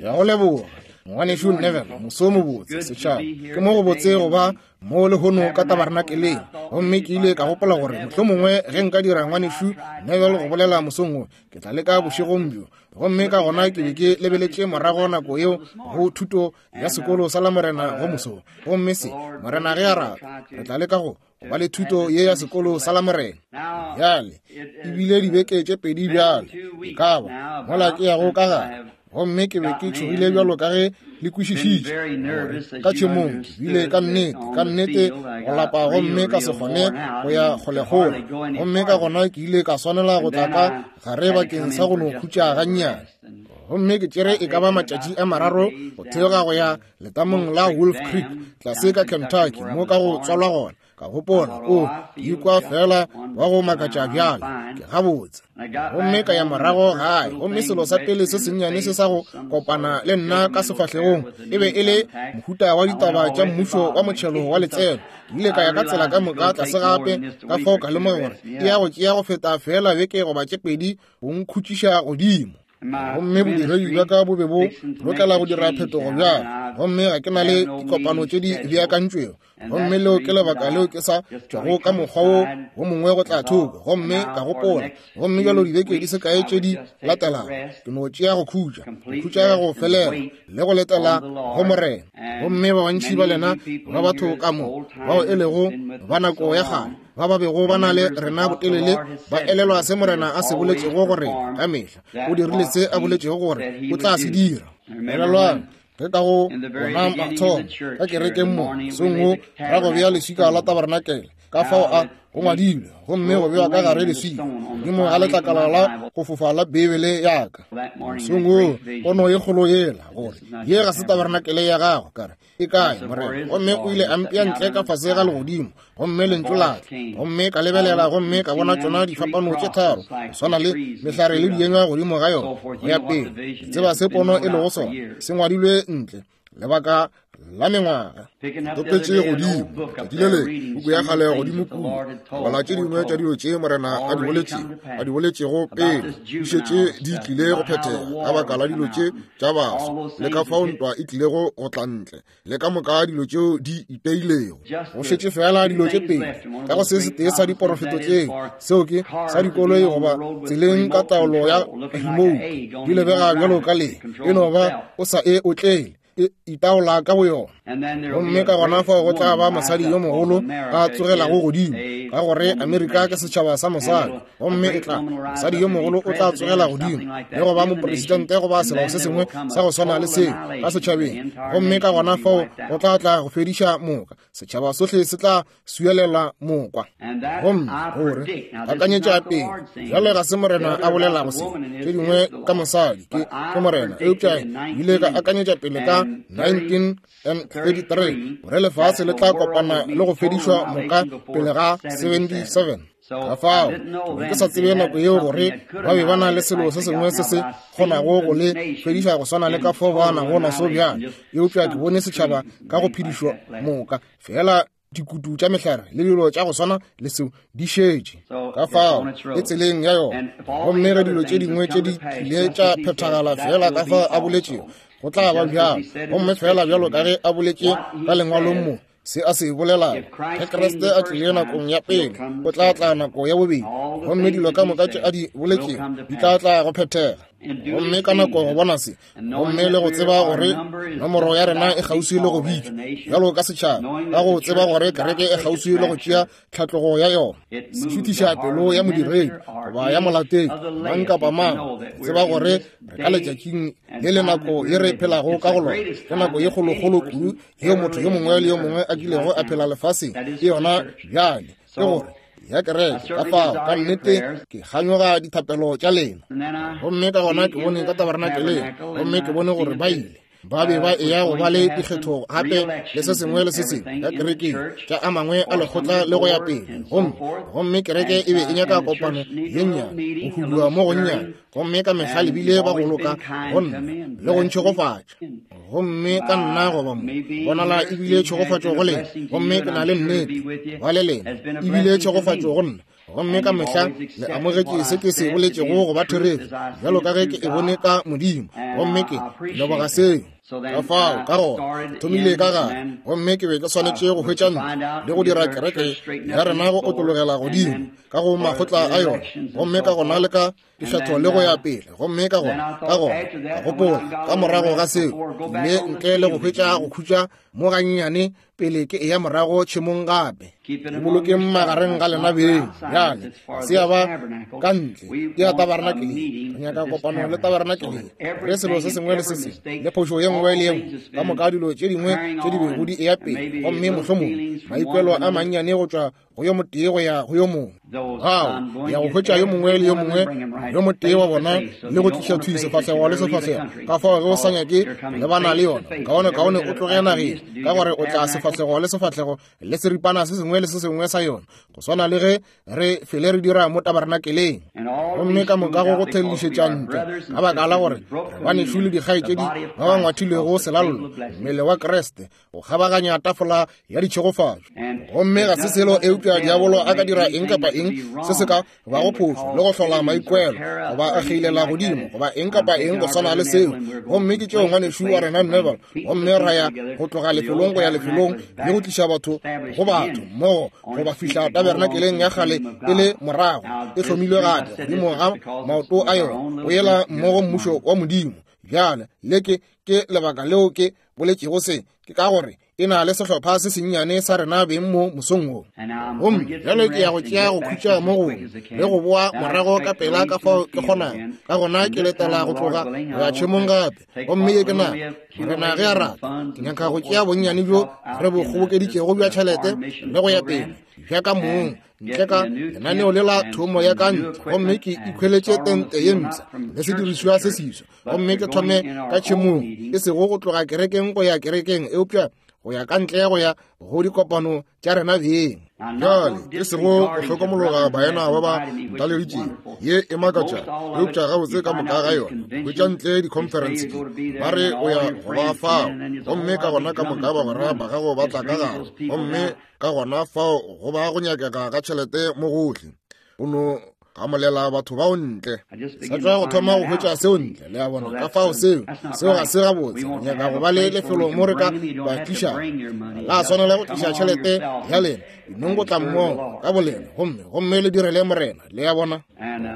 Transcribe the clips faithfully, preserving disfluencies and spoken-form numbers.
Ya go leboga ngwanešu Neville, moso mobotse setšhaba. Ke mo go botse go ba mo lehono ka tabernakeleng. Gomme ke ile ka gopola gore mohlomongwe ge nka dira ngwanešu Neville go bolela mosong wo, ke tla leka bošegong bjo. Gomme ka gona ke be ke lebeletše morago nako yeo go thuto ya sekolo sa Lamorena go moso. Gomme se Morena ge a rata, re tla leka go ba le thuto ye ya sekolo sa Lamorena. Bjale ebile dibeke tše pedi bjale e ka ba mola ke yago ka gare. Gomme ke be ke tšhogile bjalo ka ge le kwešišitše ka tšhemong, ke bile ka nnete ka nnete go lapa gomme ka se kgone go ya kgolekgole. Gomme ka gona ke ile ka swanela go tla ka gare bakeng sa go no khutša gannyane. Gomme ke tšere e ka ba matšatši a mararo go theoga go ya letamong la Wolf Creek tlase ka Kentucky mo ka go tswalwa gona. Ka gopola, o ke ikwa fela wa go makatša bjale, ke gabotse. Gomme ka ya morago gae, gomme selo sa pele se sennyane se sa go kopana le nna ka sefahlegong e be e le mohuta wa ditaba tša mmušo wa motšhelo wa letseno. Ke ile ka ya ka tsela ka moka tlase gape, ka fao ka lemoga gore e ya go tšea go feta fela beke goba tše pedi go nkhutšiša godimo. Gomme bodiredi bja ka bo be bo lokela go dira phetogo bjale, gomme ga ke na le dikopano tše di beakantšwego. Gomme leo ke lebaka leo ke sa tšwago ka mokgwa wo wo mongwe go tla thoko. Gomme ka gopola, gomme bjalo dibeke di se kae tše di latelago ke no tšea go khutša, go khutša go felela le go letela go Morena. Gomme ba bantši ba lena ba batho ka mo bao e lego ba nako ya kgale ba ba bego ba na le rena botelele ba elelwa se Morena a se boletšego gore ka mehla o dirile se a boletšego gore o tla se dira. Elelwang ge ka go bona mathomo ka kerekeng mo mosong wo ra go bea leswika la tabernakel, ka fao a go ngwadilwe gomme go bewa ka gare leswika godimo ga letlakala la go fofa la Bibele ya ka. Mosong wo pono ye kgolo yela gore ye ga se tabernakele ya gago, ka re e kae Morena? Gomme o ile a mpea ntle ka fase ga legodimo, gomme lentšu la tla. Gomme ka lebelela gomme ka bona tšona difapano tše tharo go swana le mehlare le dienywa godimo ga yona go ya pele. Ke tseba se pono e lego sona, se ngwadilwe ntle lebaka la mengwaga. Topetše godimo letšatši le le puku ya kgale godimo kua, bala tše dingwe tša dilo tše Morena a di boletšego a di boletšego pele di šetše di tlile go phethega ka baka la dilo tše tša baswa, le ka fao ntwa e tlilego go tla ntle, le ka moka dilo tšeo di iteilego. Go šetše fela dilo tše pedi ka go se setee sa diporofeto tšeo, seo ke sa dikoloi goba tseleng ka taolo ya remote, di lebega bjalo ka le e no ba o sa e otlele, e itaola ka boyona. Gomme ka gona fao go tla ba mosadi yo mogolo a tsogelago godimo, ka gore Amerika ke setšhaba sa mosadi. Gomme e tla mosadi yo mogolo o tla tsogela godimo le go ba mopresidente goba selo se sengwe sa go swana le seo ka setšhabeng. Gomme ka gona fao go tla tla go fediša moka, setšhaba sohle se tla suelela mokwa. Gomme gore akanyetša pele bjale ga se Morena a bolelago se, tše dingwe ka mosadi ke ke Morena, eupša ile ka akanyetša pele ka nineteen thirty-three gore lefase le tla kopana le go fedišwa moka pele ga seventy-seven. Ka fao ke sa tsebe nako yeo gore ba be ba na le selo se sengwe se se kgonago go le fediša go swana le ka fao ba nago naso bjale, eupša ke bone setšhaba ka go phedišwa moka fela dikutu tša mehlare le dilo tša go swana le seo di šetše ka fao e tseleng ya yona. Gomme ge dilo tše dingwe tše di tlile tša phethagala fela ka fao a boletšego, go tla ba bjalo. Gomme fela bjalo ka ge a boletše ka lengwalong mo, se a se bolelago, ge Kriste a tlile nakong ya pele, o tla tla nako ya bobedi, gomme dilo ka moka tše a di boletšego di tla tla go phethega. Gomme ka nako go bona se, gomme le go tseba gore nomoro ya rena e kgauswi le go bitšwa bjalo ka setšhaba, ka go tseba gore kereke e kgauswi le go tšea tlhatlogo ya yona, se šuthiša pelo ya modiredi goba ya molatedi mang kapa mang, go tseba gore re ka letšatšing le le nako ye re phelago ka go lona, ke nako ye kgolokgolo kudu yeo motho yo mongwe le yo mongwe a kilego a phela lefaseng, ke yona bjale, ke gore ya kereke. Ka fao ka nnete ke kganyoga dithapelo tša lena. Gomme ka gona ke bone ka tabernakeleng, gomme ke bone gore ba ile ba be ba eya go ba le dikgetho gape le se sengwe le se sengwe ka kerekeng tša a mangwe a lekgotla le go ya pele. Gomme gomme kereke e be e nyaka kopano ye nnyane, go hudua mo gonnyane, gomme ka mehla le bile ba go loka go nna le go ntšhegofatša. Gomme ka nna goba mo bonala ebile tšhegofatšo go lena, gomme ke na le nnete ba le lena ebile tšhegofatšo go nna. Gomme ka mehla le amogetše se ke se boletšego go ba therešo, bjalo ka ge ke e bone ka Modimo. Gomme ke leboga seo. Ka fao, ka gona, ke thomile ka gare, gomme ke be ke swanetše go hwetša ntlo le go dira kereke ya rena go otlologela godimo ka go makgotla a yona, gomme ka gona le ka dikgetho le go ya pele. Gomme ka gona, ka gona, ka gopola ka morago ga seo, mme ntle le go hwetša go khutša mo gannyane pele ke eya morago tšhemong gape. Ke bolokeng magareng ga lena beng. Bjale, ga se ya ba ka ntle, ke ya tabernakeleng. Re nyaka kopano le tabernakeleng, re selo se sengwe le se sengwe, le phošo ye nngwe le ye nngwe, ka moka dilo tše dingwe tše di bego di eya pele, gomme mohlomongwe maikwelo a mannyane go tšwa go yo motee go ya go yo mongwe. Gao ya go hwetša yo mongwe le yo mongwe yo motee wa bona le go tliša thwi sefahlego le sefahlego. Ka fao ge o sa nyake lebana le yona, kaone kaone o tloge nageng, ka gore o tla sefahlego le sefahlego le seripana se sengwe le se sengwe sa yona, go swana le ge re fele re dira mo tabernakeleng. Gomme ka moka go go thellišetša ntle, ka baka la gore re banešu le dikgaetšedi ba ba ngwathilwego selallo, mmele wa Kriste, go kgabaganya tafola ya ditšhegofatšo. Gomme ga se selo eupša diabolo a ka dira eng kapa eng se se ka bago phošo le go hlola maikwelo, goba a kgeilela godimo, goba eng kapa eng go swana le seo. Gomme ke tšeo ngwanešu wa rena Neville, gomme ra ya go tloga lefelong go ya lefelong le go tliša batho go batho mmogo go ba fihla tabernakeleng ya kgale e le morago e hlomilwe gape godimo ga maoto a yona, go yela mmogo mmušo wa Modimo. Bjale le ke ke lebaka leo ke boletšego se, ke ka gore e na le sehlopha se sennyane sa rena beng mo mosong wo. Gomme bjale ke ya go tšea go khutša mo gongwe le go boa morago ka pela ka fao ke kgonago. Ka gona ke letela go tloga go ya tšhemong gape. Gomme ye ke nako, Morena ge a rata, ke nyaka go tšea bonnyane bjo re bo kgobokeditšego bja tšhelete le go ya pele bja ka mong ntle ka lenaneo le la thomo ya ka ntle, gomme ke ikhweletše tente ye mpsha le sedirišwa se seswa, gomme ke thome ka tšhemong, e sego go tloga kerekeng go ya kerekeng, eupša go ya ka ntle go ya go dikopano tša rena beng. Bjale e sego go hlokomologa baena ba ba ntaleditšego, ye e makatša, eupša gabotse ka moka ga yona hwetša ntle di-conference tše, ba re o ya go ba fao, gomme ka gona ka moka bagwera ba gago ba tla ka gare, gomme ka gona fao go ba go nyakega ga tšhelete mo gohle. O no gamolela batho bao ntle. Sa tšwa go thoma go hwetša seo ntle, le a bona. Ka fao seo, seo ga se gabotse. Re nyaka go ba le lefelo mo re ka ba tlišago. La swanela go tliša tšhelete ya lena, dinong go tla mmogo ka bolena, gomme gomme le direle Morena, le a bona.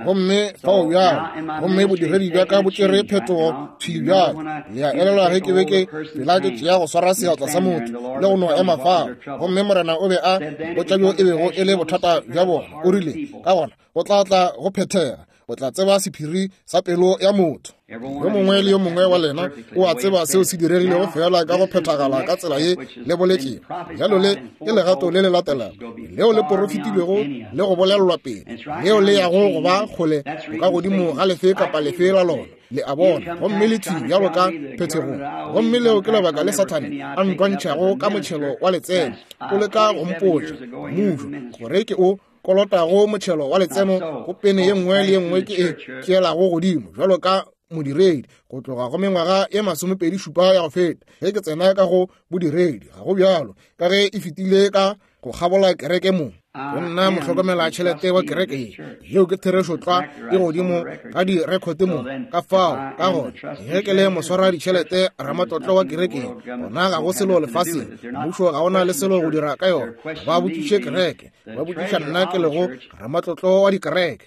Gomme fao bjalo, gomme bodiredi bja ka bo tšere phetogo thwi bjalo. Le a elelwa ge ke be ke pela ke tšea go swara seatla sa motho le go no ema fao, gomme Morena o be a botša bjo e bego e le bothata bja bona. O rile, ka gona go tla tla go phethega, o tla tseba sephiri sa pelo ya motho. Yo mongwe le yo mongwe wa lena o a tseba seo se diregilego fela ka go phethagala ka tsela ye le boletšego. Bjalo le ke legato le le latelago leo le porofetilwego le go bolelelwa pele, leo le yago go ba kgole go ka godimo ga lefe kapa lefe la lona, le a bona, gomme le thwi bjalo ka phethegong. Gomme leo ke lebaka le Sathane a ntwantšhago ka motšhelo wa letseno, o leka go mpotša mmušo gore ke o kolotago motšhelo wa letseno go pene ye nngwe le ye nngwe ke e tšeelago godimo bjalo ka modiredi go tloga go mengwaga ye masomepedi šupa ya go feta ge ke tsena ka go bodiredi. Ga go bjalo, ka ge e fetile ka go kgabola kereke mo. Go nna mohlokomela tšhelete wa kereke ye, yeo ke therešo tlwa e godimo ga direkhote mo. Ka fao, ka gona ge ke le moswara ditšhelete ramatlotlo wa kereke ye, gona ga go selo lefaseng, mmušo ga ona le selo go dira ka yona. Ba botšiše kereke, ba botšiša nna ke lego ramatlotlo wa dikereke.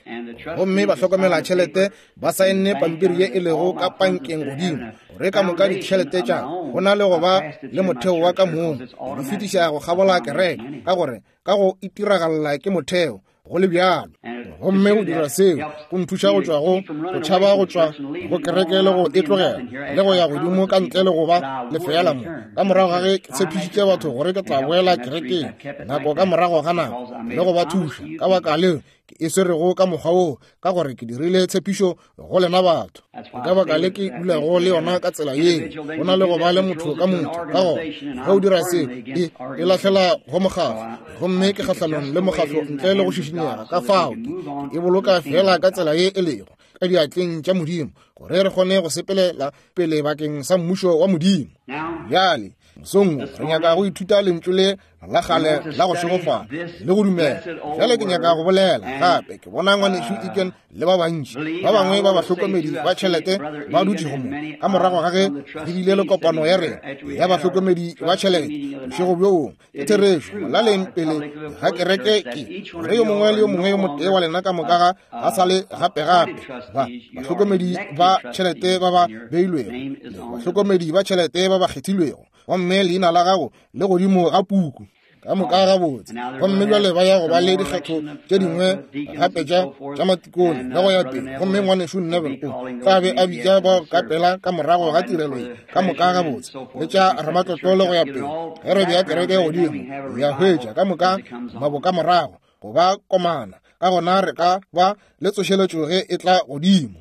Gomme ba hlokomela tšhelete ba saenne pampiri ye e lego ka pankeng godimo gore ka moka ditšhelete tša go na le go ba le motheo wa ka mong di fetiša go kgabola kereke, ka gore ka go itiragalla ke motheo go le bjalo. Gomme go dira seo go nthuša go tšwa go go tšhaba go tšwa go kereke le go e tlogela le go ya godimo ka ntle le go ba lefeela mo. Ka morago ga ge ke tshepišitše batho gore ke tla boela kerekeng nako ka morago ga nako le go ba thuša, ka baka leo ke e swerego ka mokgwa woo, ka gore ke dirile tshepišo go lena batho. Ka baka le ke dulago le yona ka tsela yeo, go na le go ba le motho ka motho. Ka gona ge o dira seo, e e lahlela go mokgatlo, gomme ke kgahlanong le mokgatlo ntle le go šišinyega. Ka fao ke e boloka fela ka tsela ye e lego ka diatleng tša Modimo, gore re kgone go sepelela pele bakeng sa mmušo wa Modimo. Bjale Mosong wo re nyaka go ithuta lentšu le la kgale la go šegofala le go dumela. Bjale ke nyaka go bolela gape. Ke bona ngwanešu Egan le ba bantši ba bangwe ba bahlokomedi ba tšhelete ba dutšego mo ka morago ga ge re bile le kopano ya rena ya bahlokomedi ba tšhelete bošego bjo bongwe. Ke therešo molaleng pele ga kereke ke gore yo mongwe le yo mongwe yo motee wa lena ka moka ga a sa le gape-gape ba bahlokomedi ba tšhelete ba ba beilwego le bahlokomedi ba tšhelete ba ba kgethilwego, gomme leina la gago le godimo ga puku ka moka gabotse. Gomme bjale ba ya go ba le dikgetho tše dingwe gape tša tša matikone le go ya pele. Gomme ngwanešu Neville o tla be a bitša bao ka pela ka morago ga tirelo ye ka moka gabotse, le tša ramatlotlo le go ya pele. Ge re bea kereke godimo ya hwetša ka moka maboka morago go ba komana, ka gona re ka ba le tsošeletšo ge e tla godimo.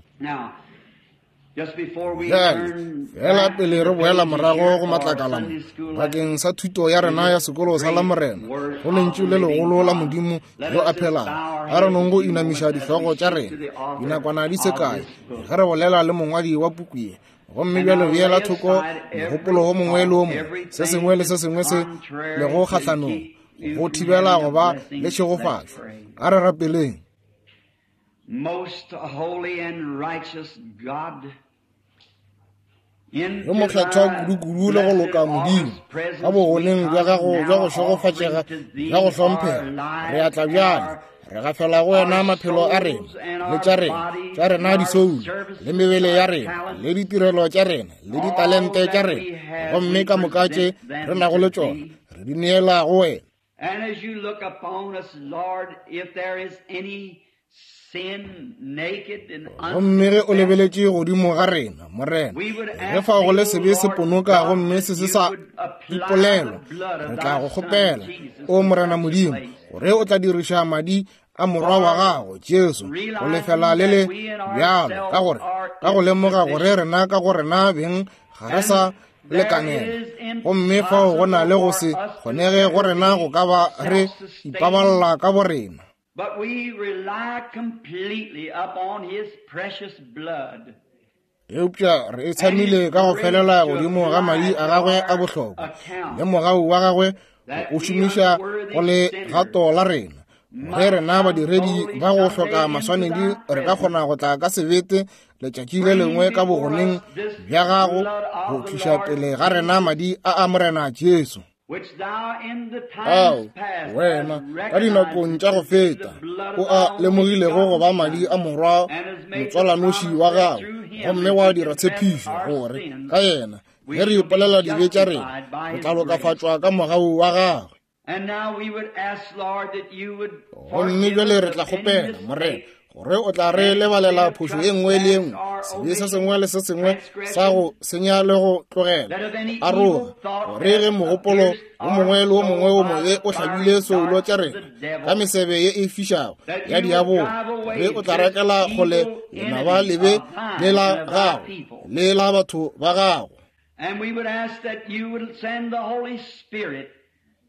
Bjale fela pele re boela morago go matlakala mo bakeng sa thuto ya rena ya sekolo sa Lamorena go lentšu le legolo la Modimo yo a phelago, a re nong go inamiša dihlogo tša rena dinakwana di se kae ge re bolela le mongwadi wa puku ye. Gomme bjale beela thoko mogopolo wo mongwe le wo mongwe, se sengwe le se sengwe se lego kgahlanong go thibela go ba le tšhegofatšo. A re rapeleng. Most holy and righteous God, Yo mokgethwa kudu-kudu le go loka Modimo, ka bogoneng bja gago bja go šegofatšega bja go hlomphega, re a tla bjale re gafela go wena maphelo a rena le tša rena tša rena disoulo le mebele ya rena le ditirelo tša rena le ditalente tša rena, gomme ka moka tše re nago le tšona re di neela go wena. And as you look upon us, Lord, if there is any sin naked and Gomme ge o lebeletše godimo ga rena, Morena, ge fao go le sebe se ponoka gomme se se sa ipolelwa, re tla go kgopela, o Morena Modimo, gore o tla diriša madi a morwa wa gago Jesu go lefela le le bjalo, ka gore ka go lemoga gore rena ka go rena beng ga re sa lekanela, gomme fao go na le go se kgonege go rena go ka ba re ipaballa ka borena. But we rely completely upon his precious blood. Eupša re itshamile ka go felela godimo ga madi a gagwe a bohlokwa le mogau wa gagwe o šomiša go le gato la rena, ge rena badiredi ba go hloka maswanedi re ka kgona go tla ka sebete letšatši le lengwe ka bogoneng bja gago go tliša pele ga rena madi a a Morena Jesu, Which thou in the ao times past wena hast ka dinakong tša go recognized feta the blood o of a thy only lemogilego go ba begotten madi a Son, morwa and has made the motswalanoši promise wa that gago, through him, gomme if wa we dira confess tshepišo our gore sins, ka yena we ge re shall be ipolela dibe tša rena justified by re his tla grace. lokafatšwa ka mogau wa gagwe. And now we would ask, Lord, that you would Gomme forgive bjale us re of tla any kgopela, mistake Morena, gore o tla re lebalela phošo ye nngwe le ye nngwe, sebe se sengwe le se sengwe sa go senya le go tlogela that if any aroga, evil thought gore ge hath mogopolo pierced wo our mongwe le wo mongwe wo soul by mobe the o fiery hlabile soulo darts tša of rena the ka devil, mesebe ye e fišago that ya you would diabolo, drive away ge o tla this rakela kgole evil lenaba enemy lebe of thine le la and of thy gago people. le la batho ba gago. And we would ask that you would send the Holy Spirit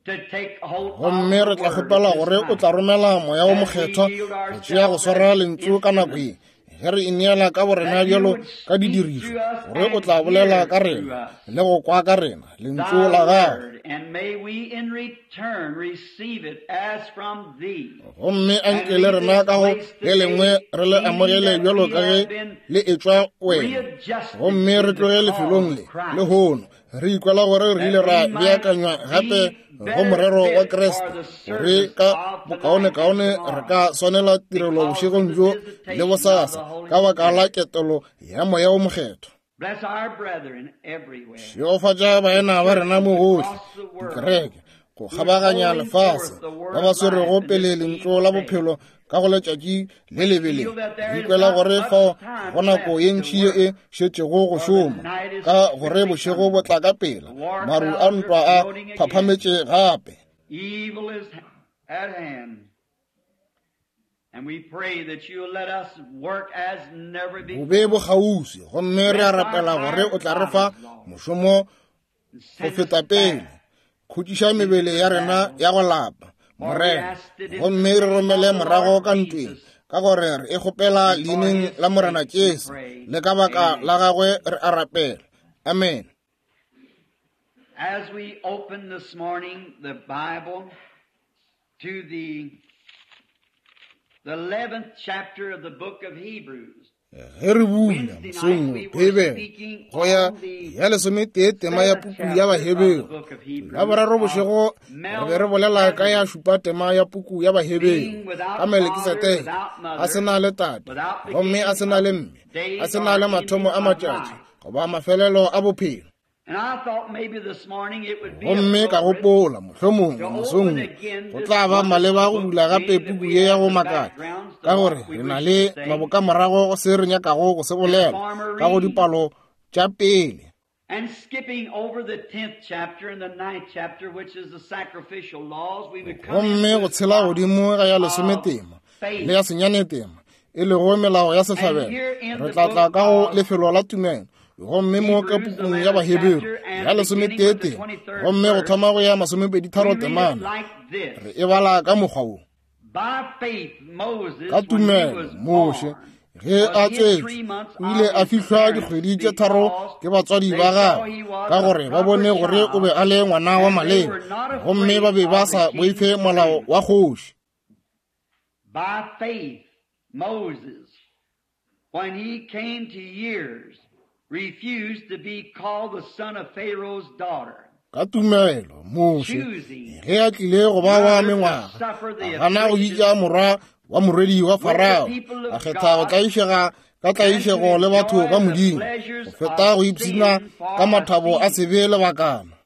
to take hold of Gomme the re tla word at kgopela this gore o tla time. romela moya wo As we mokgethwa yield go tšea go ourselves swara as lentšu ka nako ye instruments, ge re ineela ka borena that you bjalo would ka speak didirišo, to us gore o and tla bolela hear ka through rena us le go kwa ka rena lentšu thy la gago. word, and may we in return receive it as from thee. Gomme And anke le leave rena this ka go place le lengwe today re le feeling amogele that bjalo we ka ge have been le etšwa wena, readjusted gomme to re the tloge cause lefelong of le Christ, lehono re ikwela gore re ile that ra we might beakanywa gape be go better morero wa fitted for Kriste, the gore service ka of tonight and bokaonekaone re tomorrow ka swanela tirelo because of bošegong the bjo le visitation of the bosasa Holy ka baka la Spirit. ketelo ya moya wo mokgethwa. Bless our brethren everywhere, Šegofatša baena the ba rena churches mo gohle, across the world dikereke go who is kgabaganya holding lefase, forth the ba word ba of life swerego in this pele lentšu evil la day. bophelo ka go letšatši le lebe le. Feel that Re there is ikwela not gore much fao time go nako left ye to ntši ye e work, šetšego go for the šoma, night is ka gore quickly bošego coming. bo tla ka pela, The war maru a clouds are ntwa a floating again. phaphametše gape. Evil is at hand. And we pray that you'll let us work as never Bobe before. bo kgauswi, gomme re a Rest our rapela gore o tired tla re fa bodies, Lord, mošomo and go send us feta pele. back Khutšiša into mebele the ya rena battle. ya go lapa, For we Morena, ask it in the gomme re name romele of the morago Lord ka ntweng, Jesus, ka gore re e kgopela and for leineng his la Morena sake we Jesu pray. le ka baka la Amen. gagwe re a rapela. Amen. As we open this morning the Bible to the the eleventh chapter of the book of Hebrews. Ge re bula mosong Bibele go ya ya lesometee tema ya puku ya Baheberu, la boraro bošego re be re bolela ka ya šupa tema ya puku ya Baheberu ka Melkisedeke, a se na le tate gomme a se na le mme, a se na le mathomo a matšatši goba mafelelo a bophelo. Gomme ka gopola mohlomongwe mosong go tla ba maleba go bula gape puku ye ya go makatša, ka gore re na le mabokamorago go se re nyakago go se bolela ka go dipalo tša pele. Gomme go tshela godimo ga ya lesometema le ya senyanetema, e lego melao ya sehlabelo, re tla tla ka go lefelo la tumelo. Gomme mo ka pukung ya Baheberu ya lesometee tema, gomme go thoma go ya masomepedi tharo temana, re e bala ka mokgwa wo. Ka tumelo Moshe ge a tswetšwe o ile a fihlwa dikgwedi tše tharo ke batswadi ba gagwe, ka gore ba bone gore o be a le ngwana wa maleba, gomme ba be ba sa boife molao wa kgoši. By faith Moses, when he came to years, refused to be called the son of Pharaoh's daughter. Ka tumelo Moshe ge a tlile go ba wa mengwaga, a gana go bitša morwa wa morwedi wa Farao, a kgetha go tlaišega ka tlaišego le batho ba Modimo go feta go ipshina ka mathabo a sebe lebakana.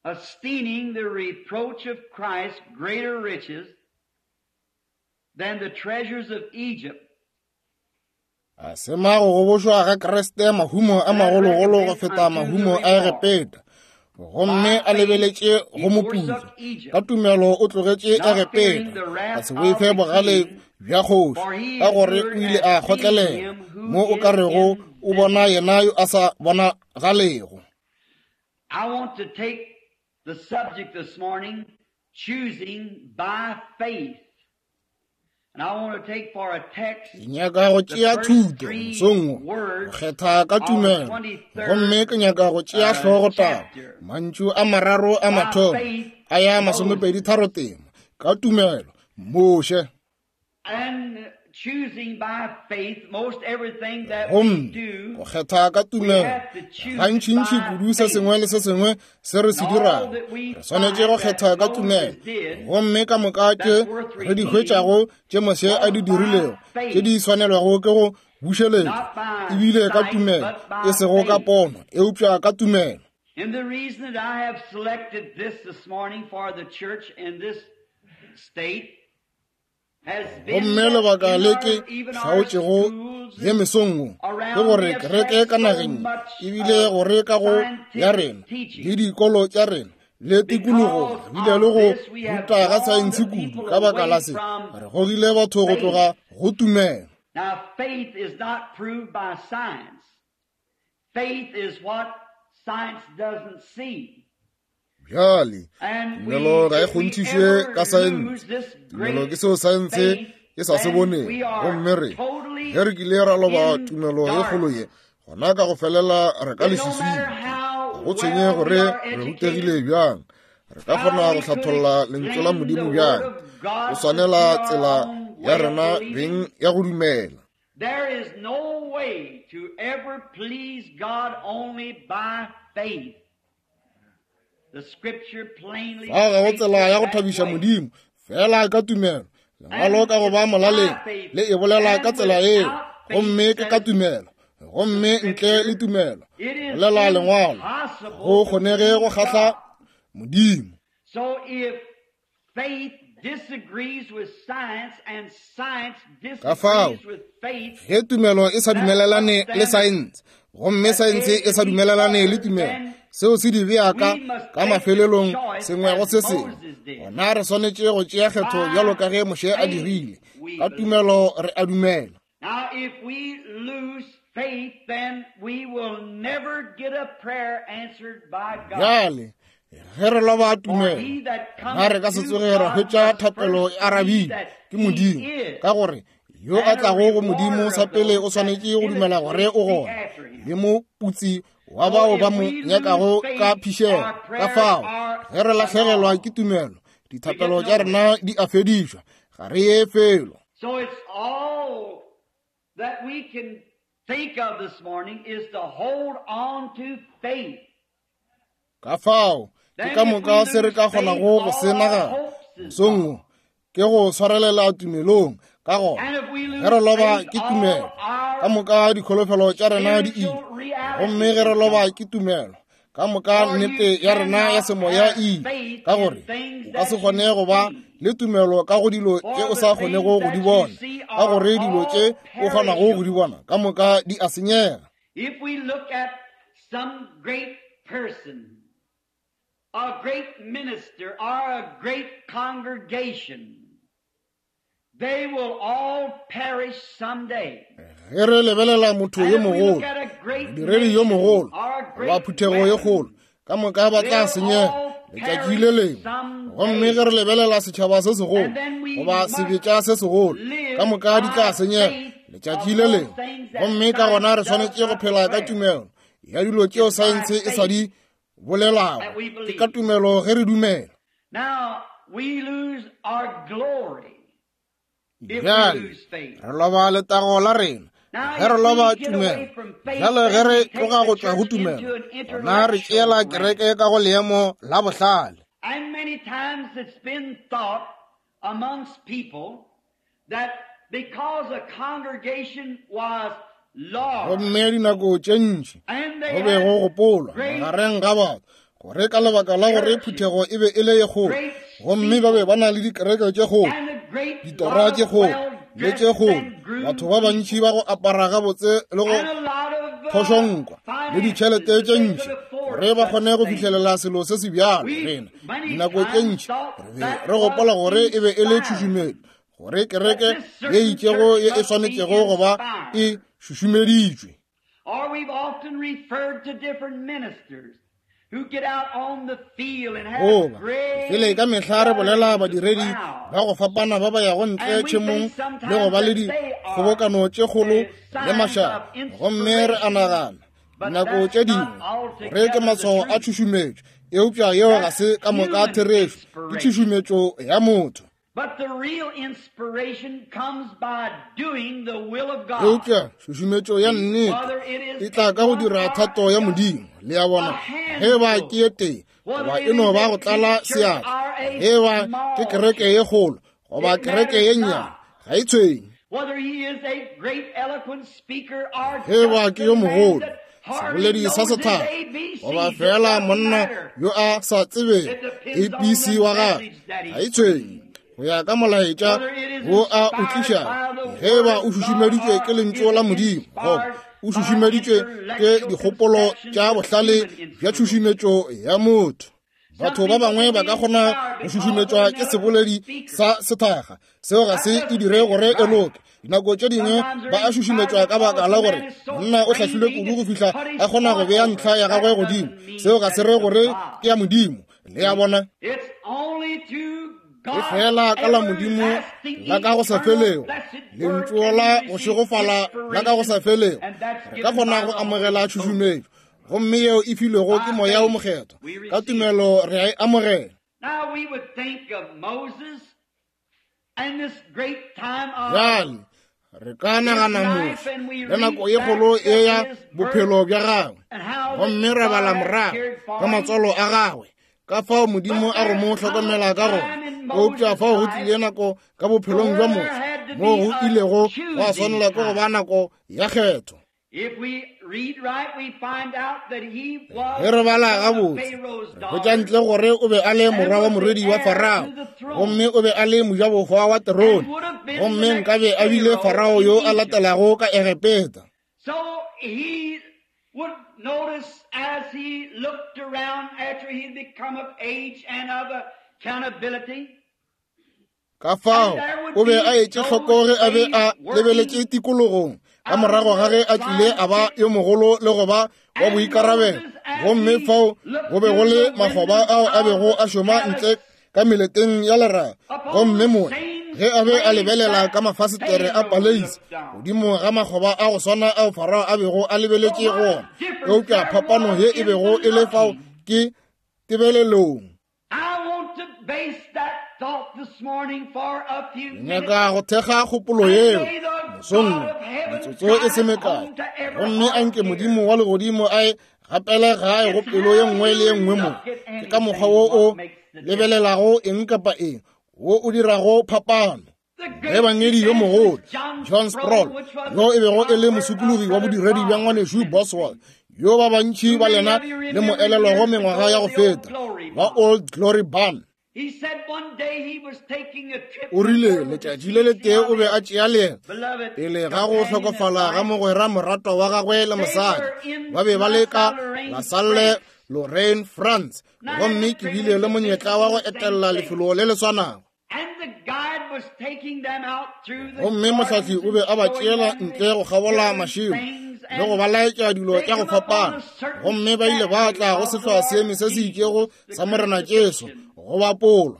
Esteeming the reproach of Christ greater riches than the treasures of Egypt. A sema go gobošwa ga Kriste mahumo a magologolo go feta mahumo a Egepeta, gomme a lebeletše go moputso. Ka tumelo o tlogetše Egepeta, a se boife bogale bja kgoši, ka gore o ile a kgotlelela mo o ka rego o bona yena yo a sa bonagalego. I want to take the subject this morning, choosing by faith. Ke nyaka go tšea thuto mosong wo, go kgetha ka tumelo, gomme ke nyaka go tšea hlogotaba mantšu a mararo a mathomo a ya masomepedi tharo tema, ka tumelo Moshe. Gomme go kgetha ka tumelo gantšintši kudu se sengwe le se sengwe se re se dirago, re swanetše go kgetha ka tumelo. Gomme ka moka tše re di hwetšago tše Moshe a di dirilego, tše di swanelwago ke go bušeletšwa, ebile ka tumelo, e sego ka pono, eupša ka tumelo. And the reason that I have selected this this morning for the church in this state Gomme lebaka le ke hlaotšego ye mesong wo ke gore kereke ka nageng, ebile gore ka go ya rena le dikolo tša rena le tikologo bile le go ruta ga saense kudu, ka baka la se re gogile batho go tloga go tumelo. Now faith is not proved by science. Faith is what science doesn't see. Bjale, tumelo ga e kgonthišwe ka saense. Tumelo ke seo saense e sa se boneng. Gomme re ge re kile ra loba tumelo ye kgolo ye, gona ka go felela re ka leswiswing. Ga go tshwenye gore re rutegile bjang, re ka kgona go hlatholla lentswe la Modimo bjang, go swanela tsela ya rena beng ya go dumela. There is no way to ever please God only by faith. Fao ga go tsela ya go thabiša Modimo fela ka tumelo. Lengwalo ka go ba molaleng le e bolela ka tsela eo, gomme ke ka tumelo, gomme ntle le tumelo bolela lengwalo go kgonege go kgahla Modimo. So if faith disagrees with science and science Ka fao, disagrees with faith, ge tumelo e sa dumelelane le saense, gomme saense e sa dumelelane le tumelo, seo se di bea ka ka mafelelong sengwe go se sengwe. Gona re swanetše go tšea kgetho bjalo ka ge Moshe a dirile. Ka tumelo re a dumela. Now if we lose faith, then we will never get a prayer answered by God. Bjale ge re loba tumelo, gona re ka se tsoge ra hwetša thapelo e arabilwe ke Modimo, ka gore yo a tlago go Modimo sa pele o swanetše go dumela gore o gona, le moputsi wa bao ba mo nyakago ka phišego. Ka fao ge re lahlegelwa ke tumelo, dithapelo tša rena di a fedišwa, ga re ye felo. So it's all that we can think of this morning is to hold on to faith. Ka fao ke ka moka se re ka kgonago go se nagana mosong wo ke go swarelela tumelong. Ka gona ge re loba ke tumelo, ka moka dikholofelo tša rena di ile. Gomme ge re loba ke tumelo, ka moka nnete ya rena ya semoya e ile. Ka gore o ka se kgone go ba le tumelo ka go dilo tše o sa kgonego go di bona, ka gore dilo tše o kgonago go di bona ka moka di a senyega. If we look at some great person, a great minister, or a great congregation, they will all perish someday. Ge re lebelela motho yo mogolo, modiredi yo mogolo, goba phuthego ye kgolo, ka moka ba tla senyega letšatši le lengwe. Gomme ge re lebelela setšhaba se segolo goba sebetša se segolo, ka moka di tla senyega letšatši le lengwe. Gomme ka gona re swanetše go phela ka tumelo ya dilo tšeo saense e sa di bolelago. Ke ka tumelo ge re dumela. Now we lose our glory. Bjale re loba letago la rena ge re loba tumelo. Bjale ge re tloga go tšwa go tumelo, gona re tšeela kereke ka go leemo la bohlale. And many times it's been thought amongst people that because a congregation was large, Gomme dinako tše ntši go be go gopolwa magareng ga batho gore ka lebaka la gore phuthego e be e le ye kgolo, gomme ba be ba na le dikereke tše kgolo, ditora tše kgolo le tše kgolo, batho ba bantši ba go apara gabotse le go phošonkwa le ditšhelete tše ntši gore ba kgone go fihlelela selo se se bjalo. Rena dinako tše ntši re be re gopola gore e be e le tšhušumetšo, gore kereke ye itšego ye e swanetšego go ba e šušumeditšwe. Or we've often referred to different ministers who get out on the field and have Goba great fele ka mehla re bolela badiredi ba go fapana ba ba yago ntle tšhemong le go ba le dikgobokano tše kgolo le mašaba, gomme re a nagana dinako tše dingwe gore ke matshwao a tšhušumetšo, eupša yeo ga se ka moka therešo, ke tšhušumetšo ya motho. But the real inspiration comes by doing the will of God. Eupša tšhušumetšo ya nnete e tla ka go dira thato ya Modimo. Le a bona, ge ba ke ye tee goba e no ba go tlala seatla, ge ba ke kereke ye kgolo goba kereke ye nnyane, ga e tshwenye. Whether he is a great eloquent speaker or Ge ba just ke yo a man mogolo, that hardly seboledi sa knows his sethaka, A B Cs, goba it fela doesn't monna matter. yo a sa tsebego A B C wa gagwe, ga e tshwenye. Go ya ka molaetša wo a o tlišago, ge ba o šušumeditšwe ke lentšu la Modimo goba o šušumeditšwe ke dikgopolo tša bohlale bja tšhušumetšo ya motho. Batho ba bangwe ba ka kgona go šušumetšwa ke seboledi sa sethakga, seo ga se e dire gore e loke. Dinako tše dingwe ba a šušumetšwa ka baka la gore monna o hlahlilwe kudu go fihla a kgona go bea ntlha ya gagwe godimo. Seo ga se re gore ke ya Modimo. Le a bona, It's only to e fela ka la Modimo la ka go sa felego, lentšu la go šegofala la ka go sa felego, re ka kgona go amogela tšhušumetšo, gomme yeo e filwego ke Moya o Mokgethwa. Ka tumelo re a e amogela. Now we would think of Moses and this great time of Bjale re ka nagana Moshe le nako ye kgolo ye ya bophelo bja gagwe, and how gomme ra bala morago ka matswalo a gagwe, ka fao Modimo a go mo hlokomela ka gona. Eupša fao go tlile nako ka bophelong bja Moshe moo go ilego gwa swanela ke go ba nako ya kgetho. If we read right, we find out that he was Ge re bala the son of gabotse, Pharaoh's re hwetša daughter. ntle gore o be a le morwa wa morwedi wa Farao, gomme o be a le mojabohwa wa terone, gomme nkabe a bile Farao yo a latelago ka Egepeta. So he would notice as he looked around after he'd become of age and of accountability, Ka fao o be a etše hloko ge a be a lebeletše tikologong ka morago ga ge a tlile a ba yo mogolo le go ba wa boikarabelo, gomme fao go be go le makgoba ao a bego a šoma ntle ka meleteng ya leraga, gomme mola Ge a be a lebelela ka mafasetere a paleisi godimo ga makgoba a go swana ao Farao a bego a lebeletše go ona, eupša phapano ye e bego e le fao ke tebelelong. Nyaka go thekga kgopolo yeo mosong metsotso e se mekae, gomme a nke Modimo wa legodimo a e gapele gae go pelo ye nngwe le ye nngwe mo. Ke ka mokgwa wo o lebelelago eng kapa eng wo o dirago phapano. Ebangedi yo mogolo John Sproul, yo e bego e le mosokologi wa bodiredi bja ngwanešu Boswell, yo ba bantši ba lena le mo elelwago mengwaga ya go feta, wa Old Glory Barn. O rile letšatši le letee o be a tšea leeto pele ga go hlokofala ga mogwera moratwa wa gagwe le mosadi. Ba be ba le ka La Salle Lorraine, France, gomme ke bile le monyetla wa go etella lefelo le le swanago. Gomme mohlahli o be a ba tšeela ntle go kgabola mašemo le go ba laetša dilo tša go fapana, gomme ba ile ba tla go sehloa seeme se se itšego sa Morena Jesu go bapolwa.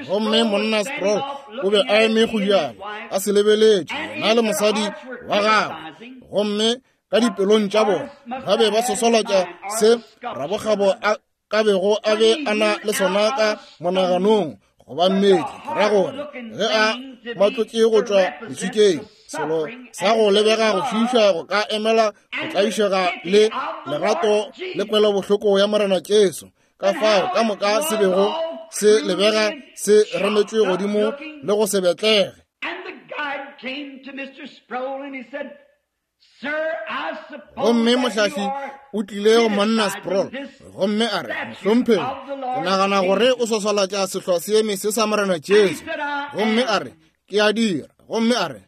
Gomme monna Sproul o be a eme go bjalo a se lebeletše yena le mosadi wa gagwe, gomme ka dipelong tša bona ba be ba sosolatša se rabokgabo a ka bego a be a na le sona ka monaganong goba mmetli, ke ra gore ge a matlotše go tšwa leswikeng, selo sa go lebega go šiiša go ka emela go tlaišega le lerato le kwelobohloko ya Morena Jesu. Ka fao ka moka se bego se lebega se remetšwe godimo le go se betlege. Gomme mohlahli o tlile go monna Sproul gomme a re, mohlomphegi, ke nagana gore o swaswalatša sehloa seeme se sa Morena Jesu. Gomme a re, ke a dira. Gomme a re,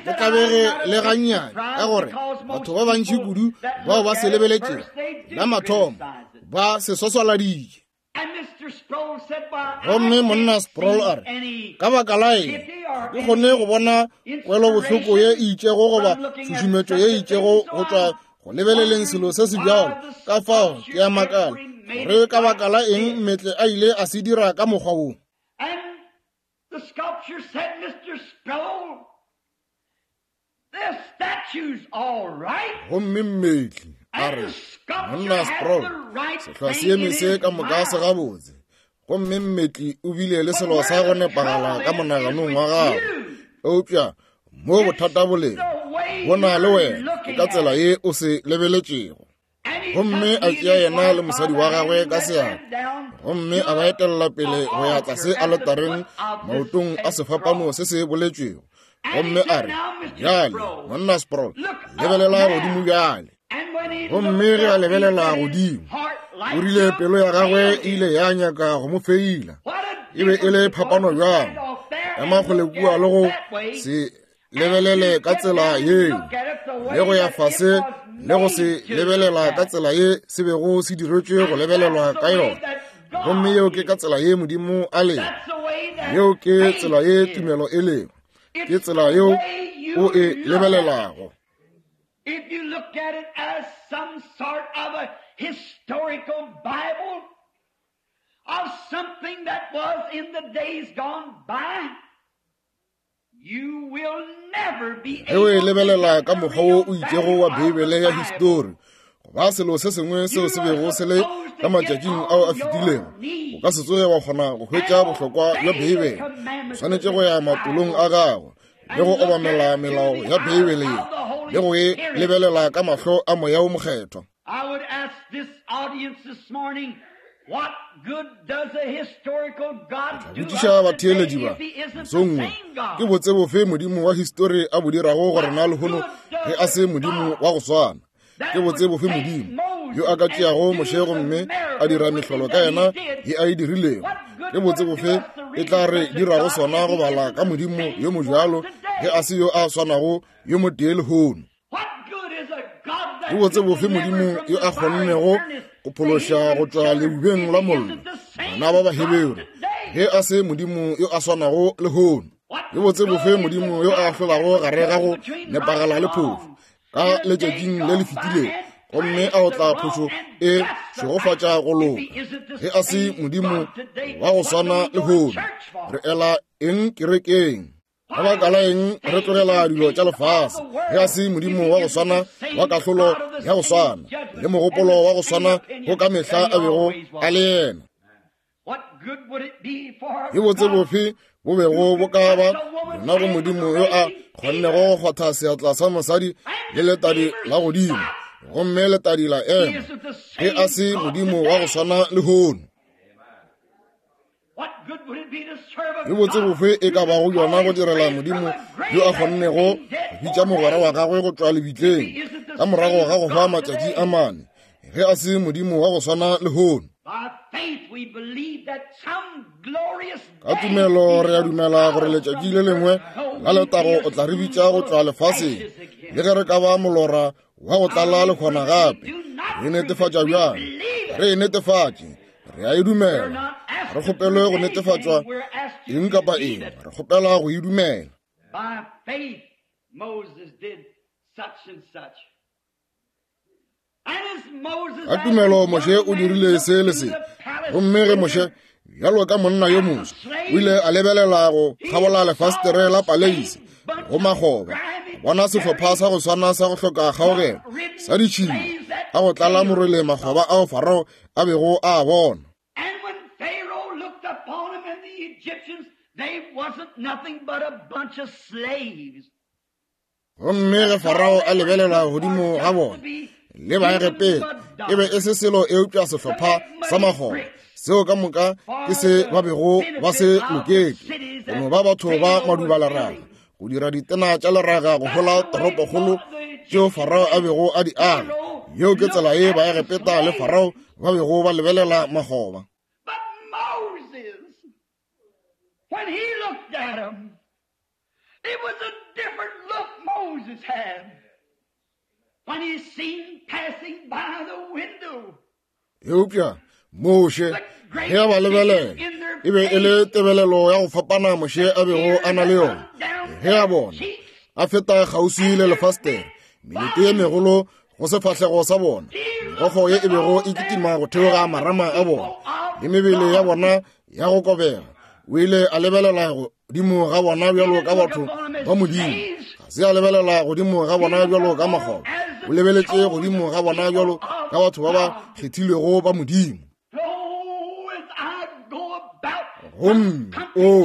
ke tlabege le gannyane, ka gore batho ba bantši kudu bao ba se lebeletšego la mathomo ba se swaswaladitše. Gomme monna Sproul a re, ka baka la eng ke kgone go bona kwelobohloko ye e itšego goba tšhušumetšo ye e itšego go tšwa go lebeleleng selo se se bjalo? Ka fao ke a makala gore ka baka la eng mmetle a ile a se dira ka mokgwa wo. Gomme mmetli a re, monna Sproul, sehloa seeme se ka moka se gabotse. Gomme mmetli o bile le selo sa go nepagala ka monaganong wa gagwe, eupša mo bothata bo leng bo na le wena ke ka tsela ye o se lebeletšego. Gomme a tšea yena le mosadi wa gagwe ka seatla, gomme a ba etella pele go ya tlase aletareng maotong a sefapano se se boletšwego. Gomme a re, bjale monna Sproul, lebelela godimo bjale. Gomme ge a lebelela godimo, o rile pelo ya gagwe e ile ya nyaka go mo feila. E be e le phapano bjang ema kgole kua le go se lebelele ka tsela yeo, le go ya fase le go se lebelela ka tsela ye se bego se diretšwe go lebelelwa ka yona. Gomme yeo ke ka tsela ye Modimo a lego, yeo ke tsela ye tumelo e lego, ke tsela yeo o e lebelelago. If you look at it as some sort of a historical Bible of something that was in the days gone by, you will never be able to lebelela ka mokgwa wo o itšego wa Beibele ya histori, goba selo se sengwe seo se bego se le ka matšatšing ao a fetilego, o ka se tsoge wa kgona go hwetša bohlokwa bja Beibele. O swanetše go ya matolong a gago le go obamela melao ya Beibele ye le go e lebelela ka mahlo a moya o mokgethwa. I would ask this audience this morning, what good does a historical God do botšiša batheeletši ba mosong wo, ke botse bofe Modimo wa histori a bo dirago go rena lehono ge a se Modimo wa go swana? Ke botse bofe Modimo yo a ka tšeago Moshe gomme a dira mehlolo ka yena ye a e dirilego? Ke botse bofe e tla re dirago sona go bala ka Modimo yo mojalo ge a se yo a swanago yo motee lehono? Ke botse bofe Modimo yo a kgonnego go phološa go tšwa leubeng la mollo bana ba Baheberu ge a se Modimo yo a swanago lehono? Ke botse bofe Modimo yo a hlolago gare ga go nepagala le phofu ka letšatšing le le fetilego gomme a otla phošo e šegofatša go loka. Ge a se Modimo wa go swana lehono, re ela eng kerekeng? Ka baka la eng re tlogela dilo tša lefase? Ge a se Modimo wa go swana wa kahlolo ya go swana le mogopolo wa go swana go ka mehla a bego a le yena. Ke botse bofe bo bego bo ka ba yona go Modimo yo a kgonnego go kgwatha seatla sa mosadi le letadi la godimo, gomme letadi la ema? Ge a se Modimo wa go swana lehono, ke botse bofe e ka bago yona go direla Modimo yo a kgonnego go bitša mogwera wa gagwe go tšwa lebitleng ka morago ga go hwa matšatši a mane? Ge a se Modimo wa go swana lehono. Ka tumelo re a dumela gore letšatši le lengwe la letago o tla re bitša go tšwa lefaseng, le ge re ka ba molora wa go tlala le kgona gape. Re netefatša bjang? Re e netefatše, re a e dumela. Re kgopelwe go netefatšwa eng kapa eng, re kgopela go e dumela. Ka tumelo Moshe o dirile se le se, gomme ge Moshe bjalo ka monna yo moswa o ile a lebelela go kgabola lefastere la paleisi go makgoba, bona sehlopha sa go swana sa go hloka kgaogelo sa ditšhila a go tlala morwele makgoba ao Farao a bego a bona. Gomme ge Farao a lebelela godimo ga bona le Baegepeta, e be e se selo eupša sehlopha sa makgoba seo ka moka ke se ba bego ba se loketše, go no ba batho ba maduba leraga, go dira ditena tša leraga go hola toropokgolo tšeo Farao a bego a di aga. Yeo ke tsela ye Baegepeta le Farao ba bego ba lebelela makgoba. When he looked at him, it was a different look Moses had when he seen passing by the window. Eupša Moshe ge a ba lebelela, e be e le tebelelo ya go fapana Moshe a bego a na le yona. Ge a bona a feta kgauswi le lefastere, melete ye megolo go sefahlego sa bona, megokgo ye e bego e kitima go theoga marama a bona le mebele ya bona ya go kobega, o ile a lebelela godimo ga bona bjalo ka batho ba Modimo. Ga se a lebelela godimo ga bona bjalo ka makgoba, o lebeletše godimo ga bona bjalo ka batho ba ba kgethilwego ba Modimo. Gomme o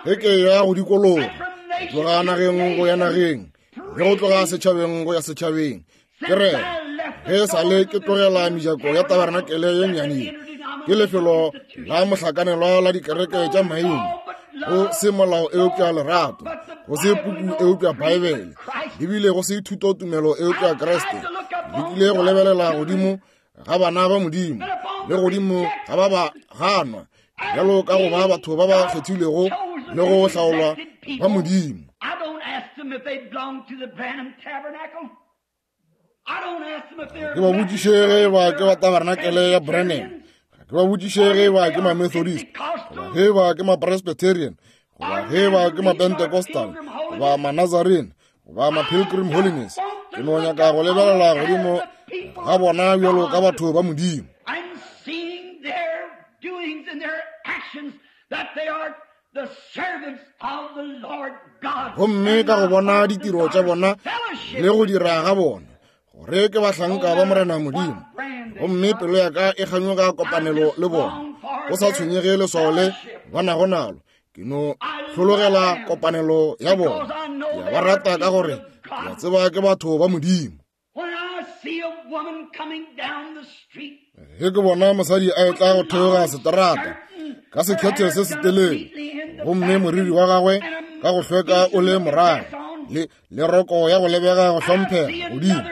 ge ke ya go dikologa, go tloga nageng go ya nageng, le go tloga setšhabeng go ya setšhabeng, ke re ge sa le ke tlogela mejako ya tabarenakele ye nnyane, ke lefelo la mohlakanelwa la dikereke tša maina, go se molao eupša lerato, go se puku eupša Baebele, ebile go se thutotumelo eupša Kriste. Lekile go lebelela godimo ga bana ba Modimo le godimo ga ba ba ganwa bjalo ka go ba batho ba ba kgethilwego le go hlaolwa ba Modimo. Ke ba botšiše ge ba ke ba tabarenakele ya Branham, ke ba botšiše ge ba ke ma-Methodist, goba ge ba ke ma-Presbyterian, goba ge ba ke ma-Pentecostal, goba ma-Nazarene, goba ma-Pilgrim Holiness. Ke no nyaka go lebelela godimo ga bona bjalo ka batho ba Modimo. Gomme ka go bona ditiro tša bona le go dira ga bona, gore ke bahlanka ba Morena Modimo, gomme pelo ya ka e kganyoga kopanelo le bona, go sa tshwenyege leswao le ba nago nalo. Ke no hlologela kopanelo ya bona. Ke a ba rata ka gore ke a tseba ke batho ba Modimo. Ge ke bona mosadi a etla go theoga seterata ka sekhethe se setelele, gomme moriri wa gagwe ka go hlweka o le morago, le le roko ya go lebega go hlomphega godimo,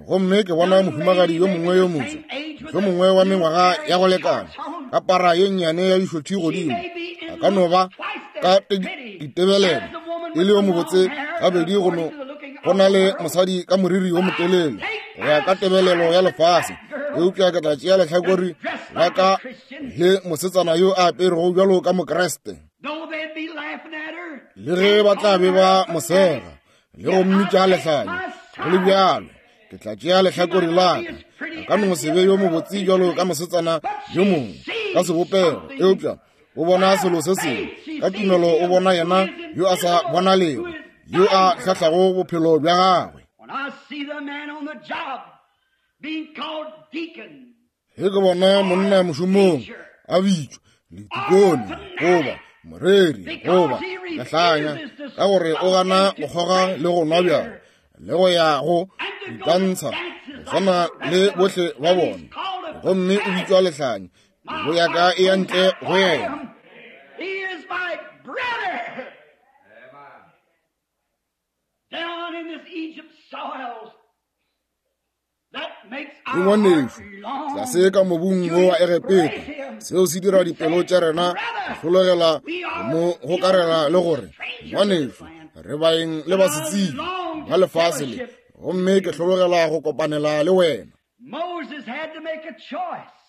gomme ke bona mohumagadi yo mongwe yo moswa, yo mongwe wa mengwaga ya go lekana, ka para ye nnyane ya dišothi godimo, a ka no ba ka ditebelelo e le yo mobotse gabedi go no go na le mosadi ka moriri wo motelele go ya ka tebelelo ya lefase. Eupša ke tla tšea lehlakore la ka le mosetsana yo a aperego bjalo ka Mokreste, le ge ba tla be ba mosega le go mmitša lehlanya, go le bjalo Ke tla tšea lehlakore la ka. A ka no se be yo mobotse bjalo ka mosetsana yo mongwe ka sebopego, eupša o bona selo se sengwe. Ka tumelo o bona yena yo a sa bonalego, yo a hlahlago bophelo bja gagwe. Ge ke bona monna mošomong a bitšwa letikone goba moreri goba lehlanya ka gore o gana go kgoga le go nwa bjala le go ya go itantsha go swana le bohle ba bona, gomme o bitšwa lehlanya, pelo ya ka e ya ntle go yena. Ke ngwanešu tlase ka mobung wo wa Egepeta. Seo se dira dipelo tša rena go hlologela mo gokarela le gore ngwanešu re baeng le basetsebje ba lefase le, gomme ke hlologela go kopanela le wena. Moses had to make a choice,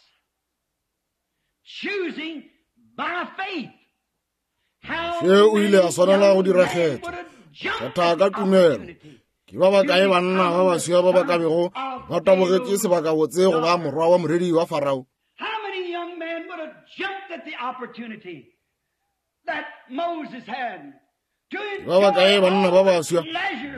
choosing by faith. Moshe o ile a swanela go dira kgetho, kgetha ka tumelo. Ke ba bakae banna ba baswa ba ba ka bego ba tabogetše sebakabotse go ba morwa wa moredi wa Farao? How many young men would have jumped at the opportunity that Moses had? Ke ba bakae banna ba baswa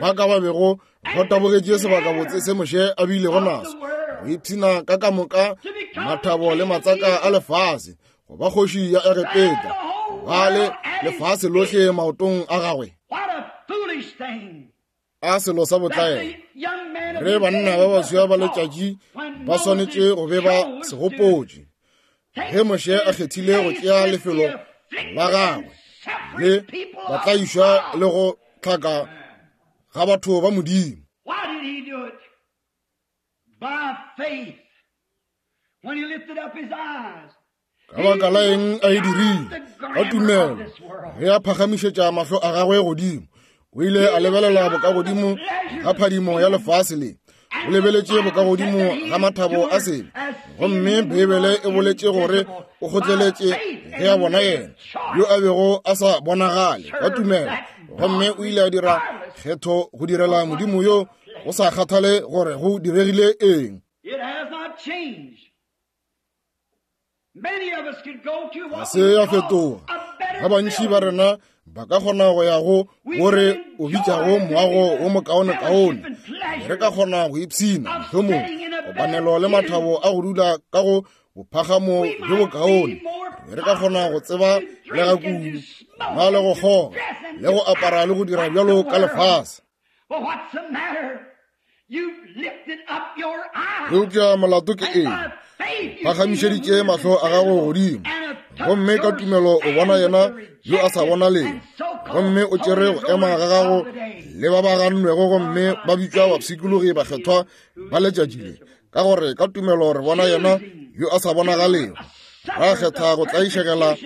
ba ka ba bego ba tabogetše sebakabotse se Moshe a bilego naso, go ipshina ka ka moka mathabo le matsaka a lefase, go ba kgoši ya Egepeta, go ba le lefase lohle maotong a gagwe? What a foolish thing! A selo sa botlaela re banna ba baswa ba letšatši ba swanetše go be ba se gopotše ge Moshe a kgethile go tšea lefelo la gagwe le batlaišwa le go tlhaka ga batho ba Modimo. Why did he do it? By faith. When he lifted up his eyes, Ka baka la eng a e dirile? Ka tumelo. Ge a phagamišetša mahlo a gagwe godimo, o ile a lebelela bokagodimo ga phadimo ya lefase le. O lebeletše bokagodimo ga mathabo a sebe, gomme Beibele e boletše gore o kgotleletše ge a bona yena yo a bego a sa bonagale ka tumelo, gomme o ile a dira kgetho go direla Modimo yo go sa kgathale gore go diregile eng. It has not changed. Many of us could go to Ga what se we ya call fetoga. a better Ba bantši ba building. rena ba ka kgona go ya go gore o bitšago moago wo mokaonekaone. Re ka kgona go ipshina mohlomong kopanelo le mathabo a go dula ka go bophagamo bjo bokaone. Re ka kgona go tseba le ga kudu, go nwa le go kgoga, le go apara le go dira bjalo ka lefase. But what's the matter? You've lifted up your eyes. Eupša molato ke And eng? by faith you Phagamišeditše see him mahlo a gago godimo, and have took gomme ka your tumelo o bona stand yena with the yo a sa rejected bonalego, and so-called gomme o tšere go holy ema ga gago rollers of the day. le ba ba gannwego gomme ba bitšwa bapshikologi bakgethwa ba letšatši le, ka gore ka tumelo re bona yena yo a sa bonagalego. Ra kgetha go tlaišegela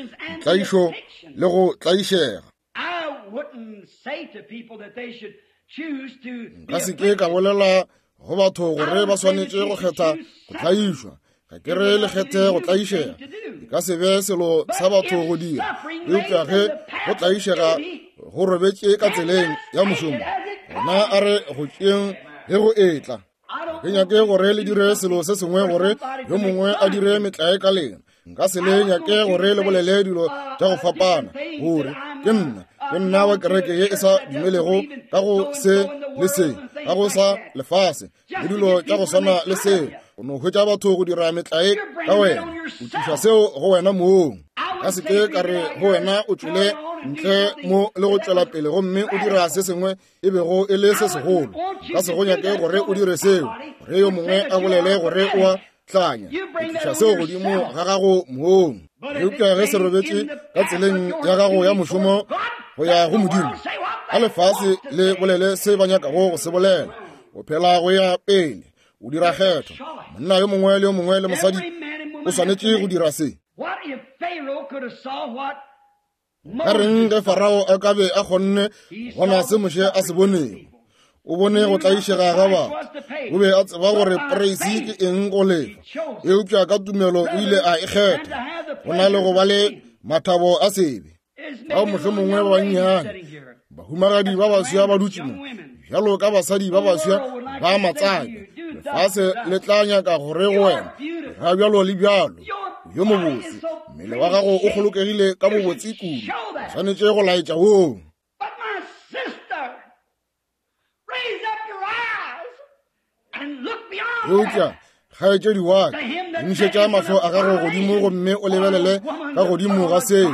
tlaišo le go tlaišega. I wouldn't say to people that they should choose to be Nka se ke ka bolela go batho gore ba swanetše go kgetha go tlaišwa. Ga ke re le kgethe go tlaišega, e ka se be selo sa batho go dira, eupša ge go tlaišega go robetše ka tseleng ya mošomo, gona a re go tšeeng ge go etla. Ke nyake gore le dire selo se sengwe gore yo mongwe a dire metlae ka lena. Nka se le nyake gore le bolele dilo tša go fapana, gore ke nna, ke nna wa kereke ye e sa dumelego ka go se le se, ka go sa lefase, le dilo tša go swana le seo. O no hwetša batho go dira metlae ka wena, o tliša seo go wena mong. Ka se ke ka re go wena o tšwele ntle mo le go tšwela pele gomme o dira se sengwe e bego e le se segolo. Nka se go nyake gore o dire seo, gore yo mongwe a bolele gore o a tlanya. O tliša seo godimo ga gago mong. Eupša ge se robetše ka tseleng ya gago ya mošomo go ya go Modimo, a lefase le bolele se ba nyakago go se bolela, o phela go ya pele, o dira kgetho. Monna yo mongwe le yo mongwe le mosadi o swanetše go dira se. What if Pharaoh could have saw what Ka reng ge Farao a ka be a kgonne bona se Moshe a se bonego? O bone go tlaišega ga batho. O be a tseba gore poreisi ke eng go lefa, eupša ka tumelo o ile a e kgetha go na le go ba le mathabo a sebe. Bao mohlomongwe ba bannyane bahumagadi ba baswa ba dutše mo, bjalo ka basadi ba baswa ba matsaka, Lefase le tla nyaka gore go wena ga bjalo le bjalo. Yo mobotse, mmele wa gago o kgolokegile ka bobotse kudu, o swanetše go laetša woo. Eupša kgaetšedi wa ka, emišetša mahlo a gago godimo gomme o lebelele ka godimo ga seo.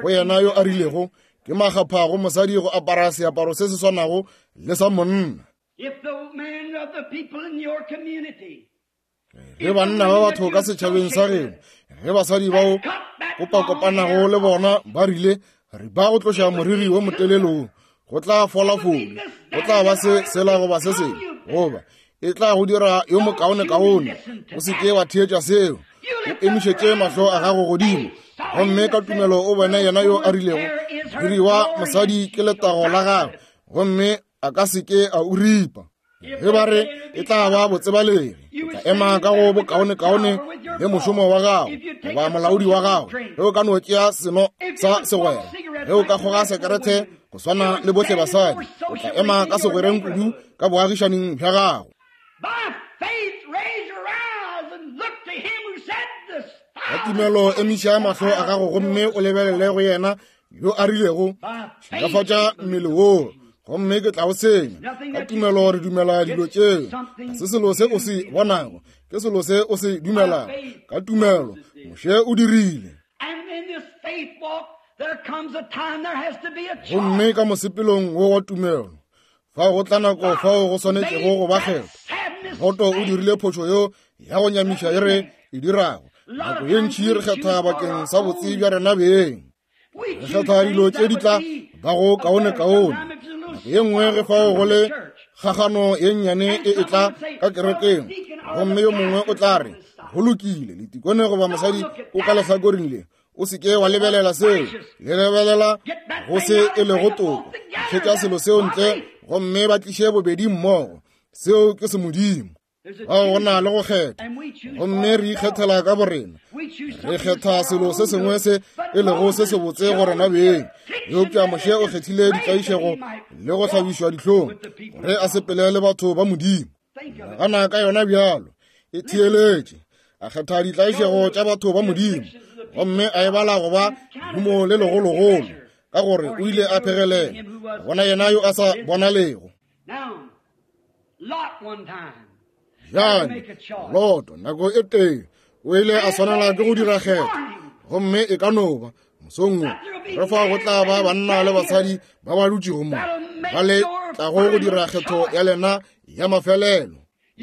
Go yena yo a rilego, ke makgapha go mosadi go apara seaparo se se swanago le sa monna. Ge banna ba batho ka setšhabeng sa geno, ge basadi bao kopakopanago le bona ba rile re ba go tloša moriri wo motelele, go tla fola fole, go tla ba se sela goba se sengwe, goba e tla go dira yo mokaonekaone. O se ke wa theetša seo. O emišetše mahlo a gago godimo gomme ka tumelo o bone yena yo a rilego moriri wa mosadi ke letago la gagwe, gomme a ka se ke a o ripa. Ge ba re e tla ba botsebalegi, o tla ema ka go bokaonekaone le mošomo wa gago goba molaodi wa gago. Ge o ka no tšea seno sa segwera, ge o ka kgoga sekerete go swana le bohle basadi, o tla ema ka segwereng kudu ka boagišaning bja gago. Ka tumelo emiša mahlo a gago gomme o lebelele go yena yo a rilego šilafatša mmele woo, gomme ke tla o senya. Ka tumelo re dumela dilo tšeo. Ga se selo se o se bonago, ke selo se o se dumelago. Ka tumelo Moshe o dirile. Gomme ka mosepelong wo wa tumelo, fao go tla nako fao go swanetšego go ba kgetho. Loto o dirile phošo yo ya go nyamiša e re e dirago. Nako ye ntši re kgetha bakeng sa botse bja rena beng. Re kgetha dilo tše di tla bago kaonekaone. Nako ye nngwe ge fao go le kgagano ye nnyane e e tla ka kerekeng, gomme yo mongwe o tla re, go lokile, letikone goba mosadi o ka lehlakoreng le, o se ke wa lebelela seo, le lebelela go se e lego toko. Tšhetša selo seo ntle gomme ba tliše bobedi mmogo. Seo ke se Modimo. Bao go na le go kgetha, gomme re ikgethela ka borena. Re kgetha selo se sengwe se e lego se sebotse go rena beng. Eupša Moshe o kgethile ditlaišego le go hlabišwa dihlong gore a sepele le batho ba Modimo. Nagana ka yona bjalo, e theeletše. A kgetha ditlaišego tša batho ba Modimo gomme a e bala go ba lehumo le legologolo, ka gore o ile a phegelela bona yena yo a sa bonalego. Bjale Loto nako e tee o ile a swanela ke go dira kgetho, gomme e ka no ba mosong wo re fa go tla ba banna le basadi ba ba dutšego mo ba le tlago go dira kgetho ya lena ya mafelelo.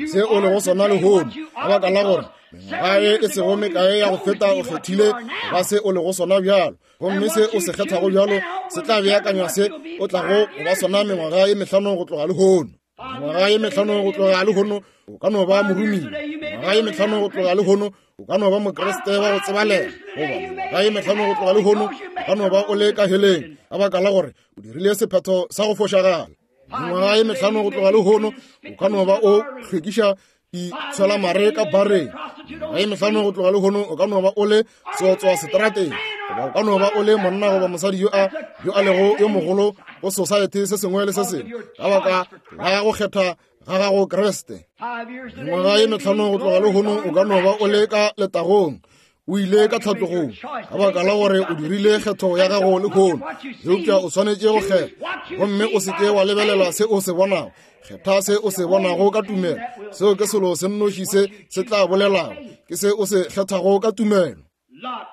Se o lego sona lehono, ka baka la gore mengwaga e e sego mekae ya go feta o kgethile ba se o lego sona bjalo, gomme se o se kgethago bjalo se tla beakanywa se o tlago go ba sona mengwaga ye mehlano go tloga lehono. Mengwaga ye mehlano go tloga lehono o ka no ba morumile. Mengwaga ye mehlano go tloga lehono o ka no ba mokriste wa go tsebalega, goba mengwaga ye mehlano go tloga lehono o ka no ba o le ka heleng, ka baka la gore o dirile sephetho sa go fošagala. Mengwaga ye mehlano go tloga lehono o ka no ba o hlwekiša ditshwelamare ka bareng. Mengwaga ye mehlano go tloga lehono o ka no ba o le seotswa seterateng, goba o ka no ba o le monna goba mosadi yo a yo a lego yo mogolo go society se sengwe le se sengwe, ka baka la go kgetha ga gago Kriste. Mengwaga ye mehlano go tloga lehono o ka no ba o le ka letagong, o ile ka tlhatlogong, ka baka la gore o dirile kgetho ya gago lehono. Eupša o swanetše go kgetha, gomme o se ke wa lebelela se o se bonago. Kgetha se o se bonago ka tumelo. Seo ke selo se nnoši se se tla bolelago, ke se o se kgethago ka tumelo. Lot,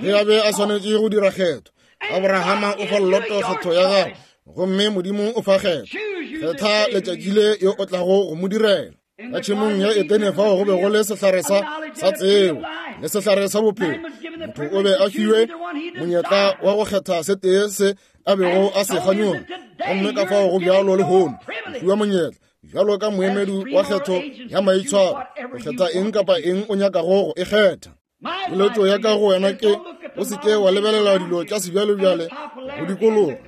ge a be a swanetše go dira kgetho, Abrahama o fa Loto kgetho ya gagwe, gomme Modimo o fa kgetho. Kgetha letšatši le yo o tlago go mo direla. Ka tšhemong ya Edene fao go be go le sehlare sa sa tsebo le sehlare sa bophelo. Motho o be a fiwe monyetla wa go kgetha se tee se a bego a se kganyoga, gomme ka fao go bjalo lehono o fiwa monyetla bjalo ka moemedi wa kgetho ya maitshwaro go kgetha eng kapa eng o nyakago go e kgetha. Keletšo ya ka go wena ke o se ke wa lebelela dilo tša sebjalebjale go dikologa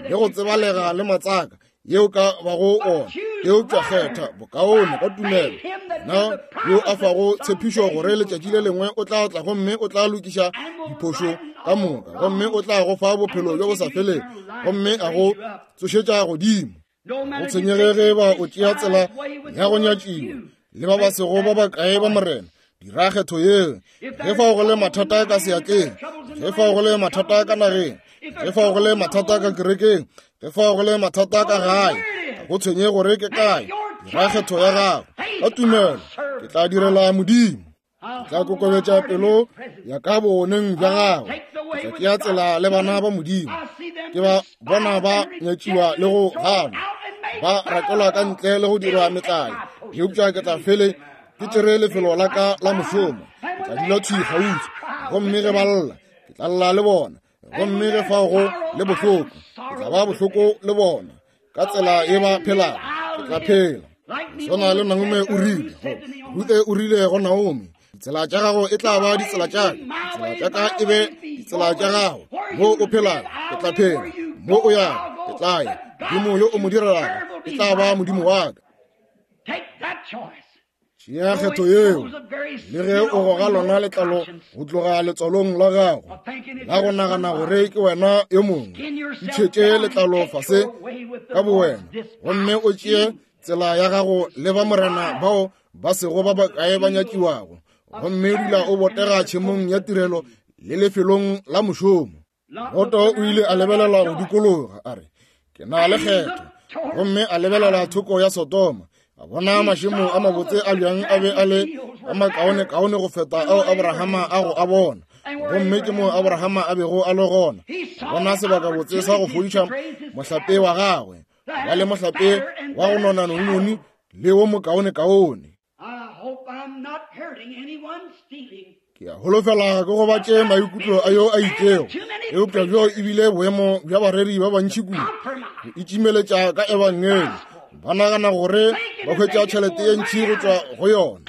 le go tsebalega le matsaka yeo ka bago ona, eupša kgetha bokaone ka tumelo. Na yo a fago tshepišo gore letšatši le lengwe o tla tla gomme o tla lokiša diphošo ka moka, gomme o tla go fa bophelo bjo bo sa felego, gomme a go tsošetša godimo. Go tshwenyege ge ba o tšea tsela ya go nyatšiwa le ba ba sego ba bakae ba Morena, dira kgetho yeo. Ge fao go le mathata ka seatleng, ge fao go le mathata ka nageng, ge fao go le mathata ka kerekeng, ge fao go le mathata ka gae, ga go tshwenye gore ke kae, dira kgetho ya gago ka tumelo. Ke tla direla Modimo. Ke tla kokobetša pelo ya ka bogoneng bja gagwe. Ke tla tšea tsela le bana ba Modimo. Ke ba bona ba nyatšiwa le go ganwa, ba rakelwa ka ntle le go dirwa metlae, eupša ke tla fele ke tšere lefelo la ka la mošomo. Ke tla dula thwi kgauswi, gomme ge ba lla, ke tla lla le bona, gomme ge fao go le bohloko, ke tla ba bohloko le bona. Ka tsela ye ba phelago, ke tla phela. Swana le Naomi o rile, Ruthe o rile go Naomi, ditsela tša gago e tla ba ditsela tša ka, ditsela tša ka e be ditsela tša gago. Mo o phelago, ke tla phela. Mo o yago, ke tla ya. Modimo yo o mo direlago e tla ba Modimo wa ka. Tšea kgetho yeo, le ge o goga lona letlalo go tloga letswalong la gago la go nagana gore ke wena yo mongwe. Itšhetše letlalo fase ka bowena, gomme o tšee tsela ya gago le ba Morena bao ba sego ba bakae ba nyatšiwago, gomme dula o botega tšhemong ya tirelo le lefelong la mošomo. Loto o ile a lebelela go dikologa, a re, ke na le kgetho, gomme a lebelela thoko ya Sodoma, a bona mašemo a mabotse a bjang a be a le a makaonekaone go feta ao Abrahama a go a bona. Gomme ke moo Abrahama a bego a le gona, a bona sebakabotse sa go fodiša mohlape wa gagwe, ba le mohlape wa go nona nononi le wo mokaonekaone. Ke a holofela ke gobatše maikutlo a yo a itšego, eupša bjo e bile boemo bja bareri ba bantši kudu go itšimeletša ka ebangeli. Ba nagana gore ba hwetša tšhelete ye ntši go tšwa go yona,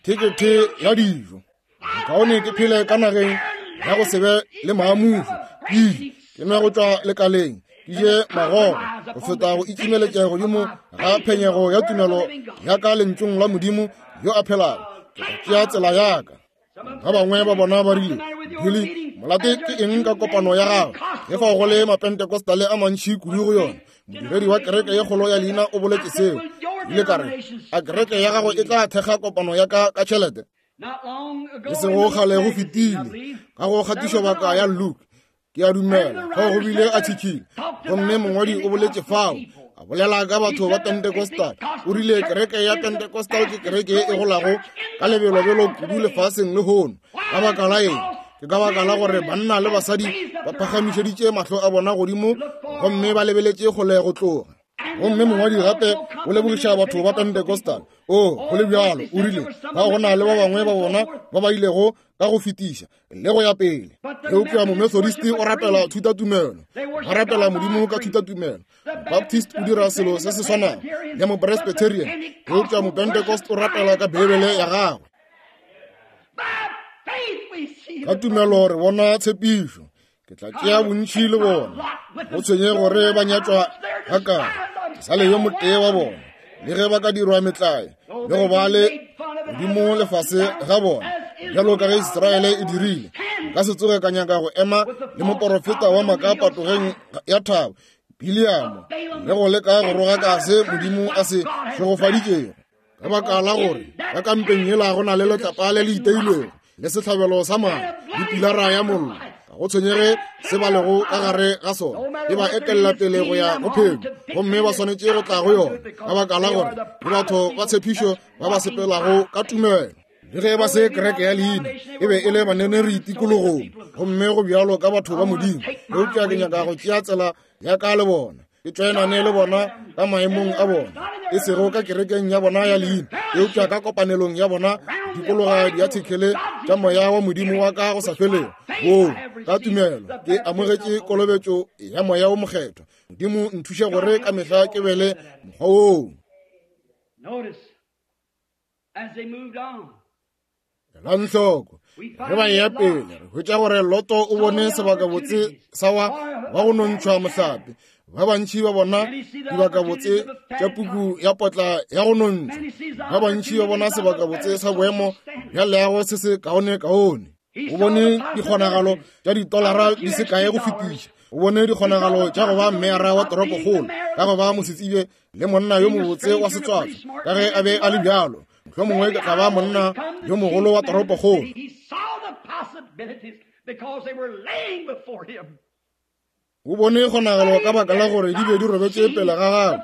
thekethe ya dijo. Kaone ke phele ka nageng ya go se be le maamušo, ke ile ke nwe go tšwa lekaleng, ke je magogo, go feta go itšimeletša godimo ga phenyego ya tumelo ya ka lentšung la Modimo yo a phelago. Ke tla tšea tsela ya ka. Ba bangwe ba bona ba rile, Billy, molate ke eng ka kopano ya gago ge fao go le mapentecostale a mantši kudu go yona? Modiredi wa kereke ye kgolo ya leina o boletše seo. Ile ka re, a kereke ya gago e tla thekga kopano ya ka ka tšhelete? E sego kgale go fetile, ka go kgatišobaka ya Luke, ke a dumela, fao go bile a tšhikile, gomme mongwadi o boletše fao, a bolela ka batho ba Pentecostal. O rile kereke ya Pentecostal ke kereke e golago ka lebelobelo kudu lefaseng lehono. Ka baka la eng? Ke ka baka la gore banna le basadi ba phagamišeditše mahlo a bona godimo gomme ba lebeletše kgole go tloga. Gomme mongwadi gape o lebogiša batho ba Pentecostal. O, go le bjalo, o rile ba go na le ba bangwe ba bona ba ba ilego ka go fetiša le go ya pele. Eupša Momethodist o rapela thutatumelo, ba rapela Modimo ka thutatumelo. Baptist o dira selo se se swanago le Mopresbyterian, eupša Mopentecost o rapela ka Beibele ya gagwe. Ka tumelo re bona tshepišo. Ke tla tšea bontši le bona, go tshwenye gore ba nyatšwa gakae, ke sa le yo motee wa bona. Le ge ba ka dirwa metlae le go ba le godimo lefase ga bona, bjalo ka ge Israele e dirile, nka se tsoge ka nyaka go ema le moporofeta wa maaka patogeng ya thaba Biliamo le go leka go rogaka se Modimo a se šegofaditšego. Ka baka la gore ka kampeng yela go na le letlapa le le iteilwego le sehlabelo sa madi le pilara ya mollo, ga go tshwenyege se ba lego ka gare ga sona, e ba etelela pele go ya go phenyo, gomme ba swanetše go tla go yona, ka baka la gore ke batho ba tshepišo ba ba sepelago ka tumelo. Le ge ba se kereke ya leina, e be e le baneneri tikologong, gomme go bjalo ka batho ba Modimo. Eupša ke nyaka go tšea tsela ya ka le bona, ke tšoenane le bona ka maemong a bona, e sego ka kerekeng ya bona ya leina, eupša ka kopanelong ya bona dikologa diathekele tša moya wa Modimo wa ka go sa felego. Woo, ka tumelo ke amogetše kolobetšo ya moya wo mokgethwa. Modimo nthuše gore ka mehla ke be le mokgwa woo. Elang hloko, ge ba eya pele, re hwetša gore Loto o bone sebakabotse sa wa wa go nontšhwa mohlape. Ba bantši ba bona dibakabotse tša puku ya potla ya go nontšhwa. Ba bantši ba bona sebakabotse sa boemo bja leago se se kaonekaone. O bone dikgonagalo tša ditolara di se kae go fetiša. O bone dikgonagalo tša go ba mmeara wa toropokgolo, ka go ba mosetsebje le monna yo mobotse wa setswatso, ka ge a be a le bjalo. Mohlomongwe ke tla ba monna yo mogolo wa toropokgolo. O bone kgonagalo ka baka la gore di be di robetše pele ga gagwe,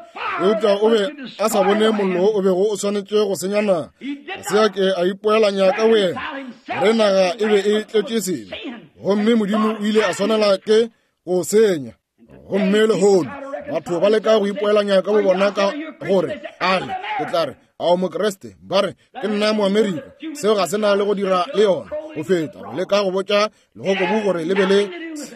eupša o be a sa bone mollo o bego o swanetše go senya naga. Ga se a ke a ipoelanya ka boyena gore naga e be e tletše sebe, gomme Modimo o ile a swanela ke go senya. Gomme lehono batho ba leka go ipoelanya ka bo bona ka gore a re ke tla re ao Mokreste, ba re ke nna Moamerika. Seo ga se na le go dira le yona go feta go leka go botša legokobu gore le be le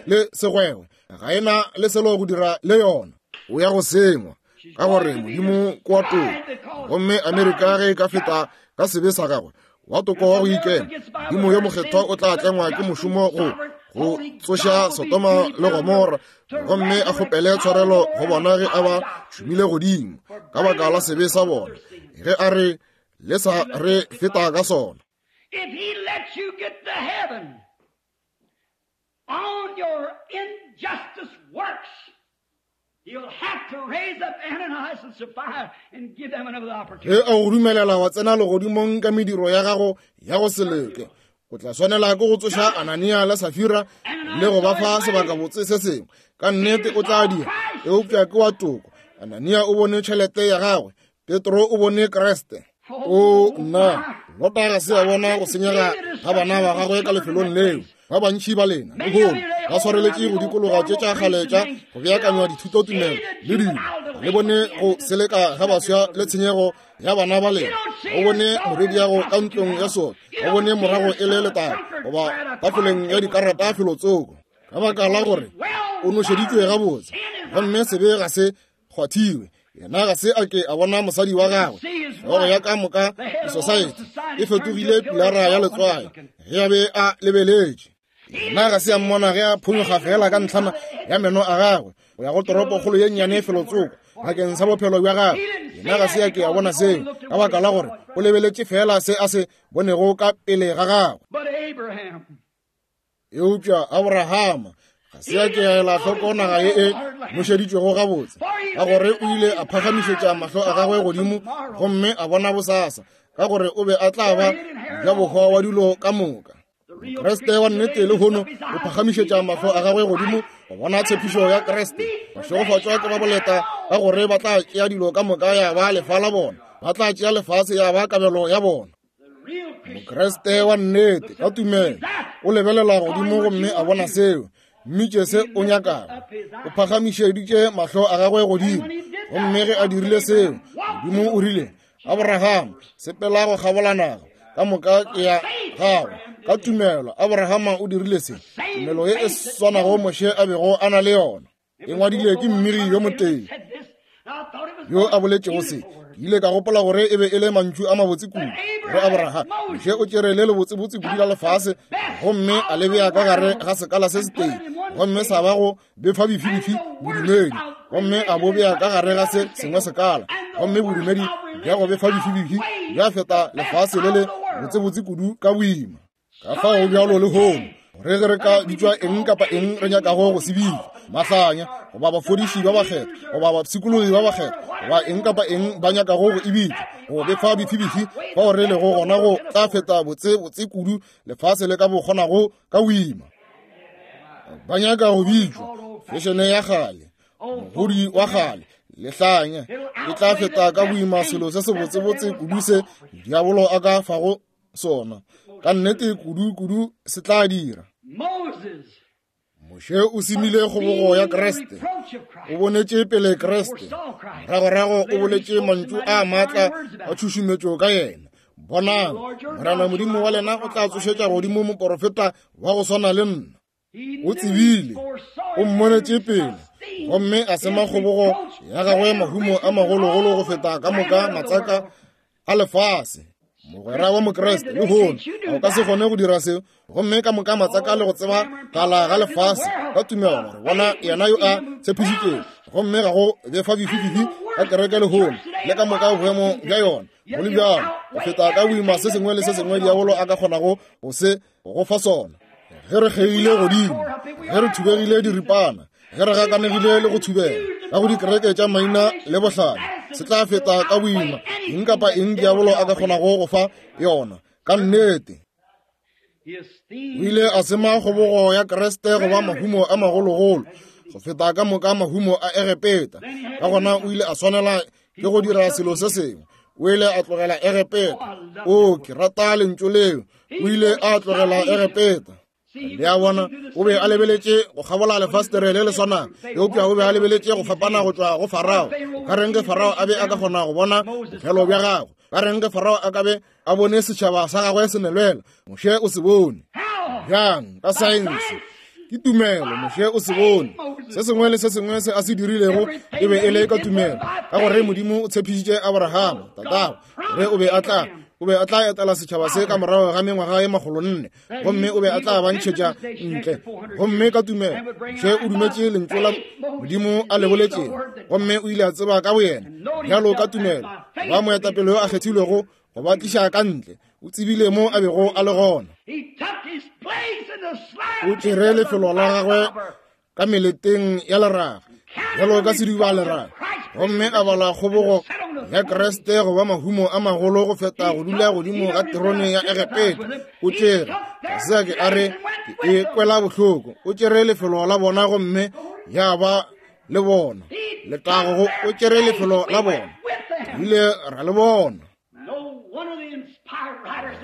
le segwegwe. Ga e na le selo go dira le yona. O ya go sengwa ka gore Modimo ke wa toko, gomme Amerika ge e ka feta ka sebe sa gagwe wa toko wa go ikema, Modimo yo mokgethwa o tla tlengwa ke mošomo go go tsoša Sodoma le Gomora, gomme a kgopele tshwarelo go bona ge a ba šomile godimo ka baka la sebe sa bona, ge a re le sa re feta ka sona. If he lets you get to heaven on your injustice works, you'll have to raise up Ananias and Sapphira and give them another opportunity. Ge a go dumelela wa tsena legodimong ka mediro ya gago ya go se loke, o tla swanela ke go tsoša Anania le Safira le go ba fa sebakabotse se sengwe. Ka nnete o tla dira, eupša ke wa toko. Anania o bone tšhelete ya gagwe, Petro o bone Kreste. O nna, Lota ga se a bona go senyega ga bana ba gagwe ka lefelong leo. Ba bantši ba lena lehono ba swareletše go dikologa tše tša kgale tša go beakanywa dithutotumelo le dilo. Le bone go seleka ga baswa le tshenyego ya bana ba lena. O bone morwediago ka ntlong ya sona, o bone morago e le letaba goba tafoleng ya dikarata felotsoko, ka baka la gore o nošeditšwe gabotse, gomme sebe ga se kgwathiwe. Yena ga se a ke a bona mosadi wa gagwe. Hlogo ya ka moka disosaete e fetogile pilara ya letswai ge a be a lebeletše. Yena ga se a mmona ge a phonyokga fela ka ntlhana ya meno a gagwe go ya go toropokgolo ye nnyane felotsoko bakeng sa bophelo bja gagwe. Yena ga se a ke a bona seo ka baka la gore o lebeletše fela se a se bonego ka pele ga gagwe. Eupša Abrahama ga se a ke a ela hloko naga ye e nošeditšwego gabotse, ka gore o ile a phagamišetša mahlo a gagwe godimo gomme a bona bosasa, ka gore o be a tla ba bja bohwa wa dilo ka moka. Kreste wa nnete lehono o phagamišetša mahlo a gagwe godimo go bona tshepišo ya Kreste. Bašegofatšwa ke ba boleta, ka gore ba tla tšea dilo ka moka ya ba lefa la bona, ba tla tšea lefase ya ba kabelo ya bona. Mokreste wa nnete ka tumelo o lebelela godimo gomme a bona seo, mmitše se o nyakago. O phagamišeditše mahlo a gagwe godimo, gomme ge a dirile seo, Modimo o rile, Abraham, sepela go kgabola naga ka moka ke ya gago. Ka tumelo Abrahama o dirile se, tumelo ye e swanago Moshe a bego a na le yona. E ngwadile ke mmiri yo motee yo a boletšego se. Ke ile ka gopola gore e be e le mantšu a mabotse kudu gore Abraham Moshe o tšere le lebotsebotse kudu la lefase gomme a le bea ka gare ga sekala se setee, gomme sa ba go befa bifibifi bodumedi, gomme a bo bea ka gare ga se sengwe sekala, gomme bodumedi bja go befa bifibifi bja feta lefase le le botsebotse kudu ka boima. Ka fao bjalo lehono gore ge re ka bitšwa eng kapa eng re nyakago go se bitša, mahlanya goba bafodiši ba bakgethwa goba bapshikologi ba bakgethwa goba eng kapa eng ba nyakago go e bitša, go befa bifibifi fao re lego gona go tla feta botse botse kudu lefase le ka bo kgonago ka boima. Ba nyaka go bitšwa fešene ya kgale, mogodi wa kgale, lehlanya, e tla feta ka boima selo se se botsebotse kudu se diabolo a ka fago sona. Ka nnete kudu kudu se tla dira. Moshe o semile kgobogo ya Kreste, o bonetše pele Kreste, moragorago o boletše mantšu a maatla a tšhušumetšo ka yena. Bonang, Morena Modimo wa lena o tla tsošetša godimo moporofeta wa go swana le nna. O tsebile, o mmonetše pele, gomme a sema kgobogo ya gagwe mahumo a magologolo go feta ka moka matsaka a lefase. Mogwera wa Mokreste lehono o ka se kgone go dira seo, gomme ka moka matsaka le go tseba kala ga lefase ka tumelo gore bona yena yo a tshepišitšego, gomme ga go befa bifibifi ka kereke lehono le ka moka boemo bja yona. Go le bjalo go feta ka boima se sengwe le se sengwe diabolo a ka kgonago go se go fa sona. Ge re kgeile godimo, ge re thubegile diripana, Ge re gakanegile le go thubela ka go dikereke tša maina le bohlale, se tla feta ka boima eng kapa eng diabolo a ka kgonago go fa yona. Ka nnete. O ile a sema kgobogo ya Kriste go ba mahumo a magologolo go feta ka moka mahumo a Egepeta. Ka gona o ile a swanela ke go dira selo se sengwe. O ile a tlogela Egepeta. O, ke rata lentšu leo. O ile a tlogela Egepeta. Le a bona, o be a lebeletše go kgabola lefastere le le swanago, eupša o be a lebeletše go fapana go tšwa go Farao. Ka reng ge Farao a be a ka kgona go bona bophelo bja gagwe? Ka reng ge Farao a ka be a bone setšhaba sa gagwe se nelwela? Moshe o se bone. Bjang? Ka saense. Ke tumelo, Moshe o se bone. Se sengwe le se sengwe se a se dirilego e be e le ka tumelo, ka gore Modimo o tshepišitše Abrahama tatago gore o be a tla o be a tla etela setšhaba se ka morago ga mengwaga ye makgolo nne, gomme o be a tla ba ntšhetša ntle. Gomme ka tumelo Moshe o dumetše lentšu la Modimo a le boletšego, gomme o ile a tseba ka boyena bjalo ka tumelo ba moetapele yo a kgethilwego go ba tliša ka ntle. O tsebile mo a bego a le gona. O tšere lefelo la gagwe ka meleteng ya leraga bjalo ka sediba leraga, gomme a bala kgobogo ya Kriste go ba mahumo a magolo go feta go dula godimo ga terone ya Egepeta. O tšere, ga se a ke a re ke e kwela bohloko. O tšere lefelo la bona gomme ya ba le bona. Letago, o tšere lefelo la bona, ile ra le bona.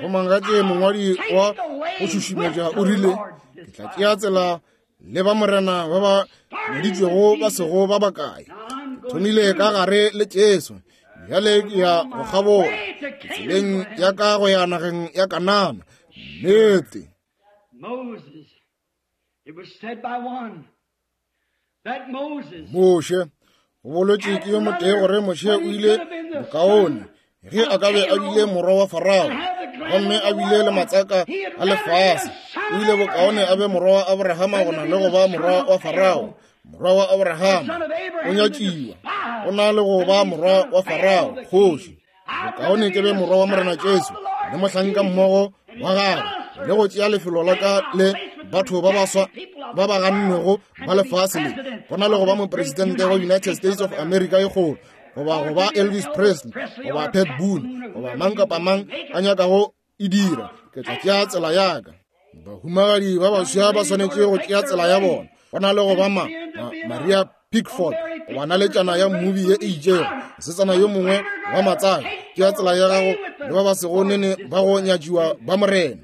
Go mangatše mongwadi wa go šušumetša o rile, ke tla tšea tsela le ba morena ba ba nyaditšwego ba sego ba bakae. Ke thomile ka gare le Jesu, bjale ke ya go kgabola tseleng ya ka go ya nageng ya Kanana. Nnete. Moshe, go bolotše ke yo motee gore Moshe o ile bokaone ge a ka be a bile morwa wa Farao gomme a bile le matsaka a lefase. O ile bokaone a be morwa wa Abrahama go na le go ba morwa wa Farao. Morwa wa Abrahama o nyatšiwa, o na le go ba morwa wa Farao kgoši. Bokaone ke be morwa wa Morena Jesu le mohlanka mmogo wa gagwe, le go tšea lefelo la ka le batho ba baswa ba ba gannwego ba lefase le, go na le go ba mopresidente wa United States of America e kgolo, goba go ba Elvis Presley, goba Pat Boone, goba mang kapa mang a nyakago e dira. Ke tla tšea tsela ya ka. Bahumagadi ba baswa ba swanetše go tšea tsela ya bona, go na le go ba ma, ma Maria Pickford goba naletšana ya mmubi ye e itšego, mosetsana yo mongwe wa matsaka. Tšea tsela ya gago le ba ba sego nene ba go nyatšiwa ba morena.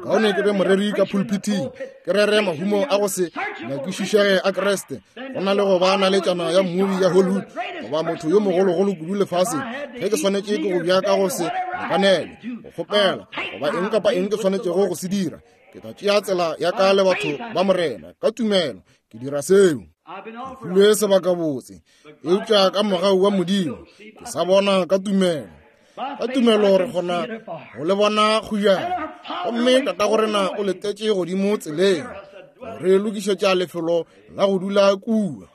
Bokaone ke be moreri ka pulpiting, ke rere mahumo a go se nyakišišege a Kriste, go na le go ba naletšana ya mmubi ya Hollywood goba motho yo mogologolo kudu lefaseng. Ge ke swanetše ke go bja ka go se lekanele, go kgopela goba eng kapa eng ke swanetšego go se dira, ke tla tšea tsela ya ka le batho ba morena. Ka tumelo ke dira seo. Ke filwe sebakabotse, eupša ka mogau wa Modimo ke sa bona ka tumelo. Ka tumelo re kgona go le bona kgujana, gomme tatago rena o letetše godimo tseleng re lokišetša lefelo la go dula kua.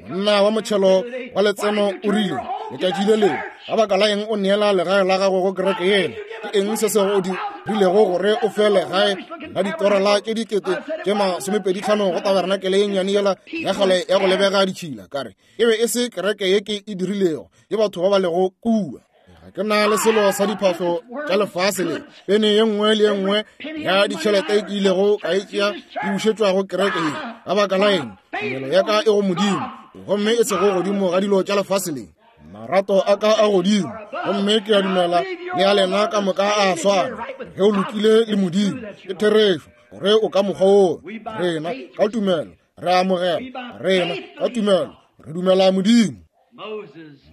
Monna wa motšhelo wa letseno o rile letšatši le lengwe, ka baka la eng o neela legae la gago go kereke yela? Ke eng se se go dirilego gore o fe legae la ditorela tše dikete tše masomepedi tlhano go tabernakele ye nnyane yela ya kgale ya go lebega ditšhila? Ka re e be e se kereke ye ke e dirilego, ke batho ba ba lego kua. Ga ke na le selo sa diphahlo tša lefase le. Pene ye nngwe le ye nngwe ya ditšhelete ke ilego ka e tšea e bušetšwa go kereke ye. Ka baka la eng? Tumelo ya ka e go Modimo, gomme e sego godimo ga dilo tša lefase le. Marato a ka a godimo, gomme ke a dumela le a lena ka moka a swana. Ge o lokile le Modimo, ke therešo gore o ka mokgwa oo. Rena ka tumelo re amogela, rena ka tumelo re dumela Modimo.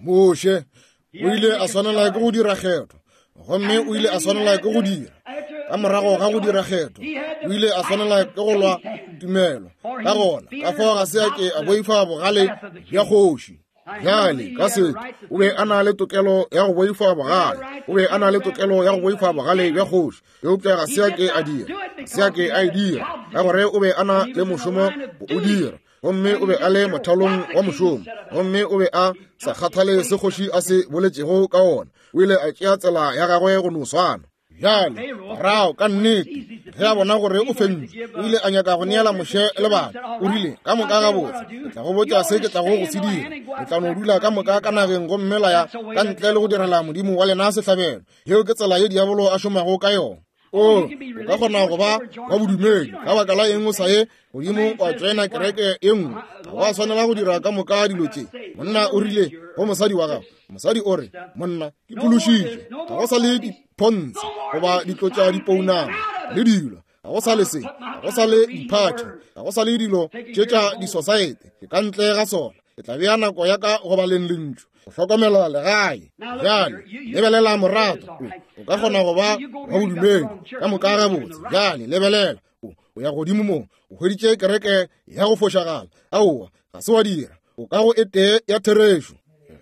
Moshe o ile a swanela ke go dira kgetho, gomme o ile a swanela ke go dira. Ka morago ga go dira kgetho, o ile a swanela ke go lwa tumelo. Ka gona ka fao ga se a ke a boifa bogale bja kgoši. Bjale ka setho o be a na le tokelo ya go boifa bogale, o be a na le tokelo ya go boifa bogale bja kgoši, eupša ga se a ke a dira, ga se a ke a e dira, ka gore o be a na le mošomo go o dira, gomme o be a le mothalong wa mošomo, gomme o be a sa kgathale se kgoši a se boletšego ka ona. O ile a tšea tsela ya gagwe go no swana. Bjale Farao ka nnete Ge a bona gore o fentšwe, o ile a nyaka go neela Moshe lebaka. O rile, ka moka gabotse, ke tla go botša se ke tlago go se dira. Le tla no dula ka moka ka nageng gomme la ya ka ntle le go direla Modimo wa lena sehlabelo. Yeo ke tsela ye diabolo a šomago ka yona. O, o ka kgona go ba wa bodumedi, ka baka la eng o sa ye godimo wa tšoena kereke e nngwe? Ga wa swanela go dira ka moka dilo tše. Monna o rile go mosadi wa gagwe, mosadi o re, monna, ke phološitšwe, ga go sa le dipontshe goba ditlo tša dipounama le dilo, ga go sa le se, ga go sa le diphathi, ga go sa le dilo tše tša disosaete, ke ka ntle ga sona. Ke tla bea nako ya ka go baleng lentšu, go hlokomela legae. Bjale lebelela morato, o ka kgona go ba wa bodumedi ka moka gabotse. Bjale lebelela, o ya godimo mo, o hweditše kereke ya go fošagala. Aowa, ga se wa dira. O ka go e tee ya therešo.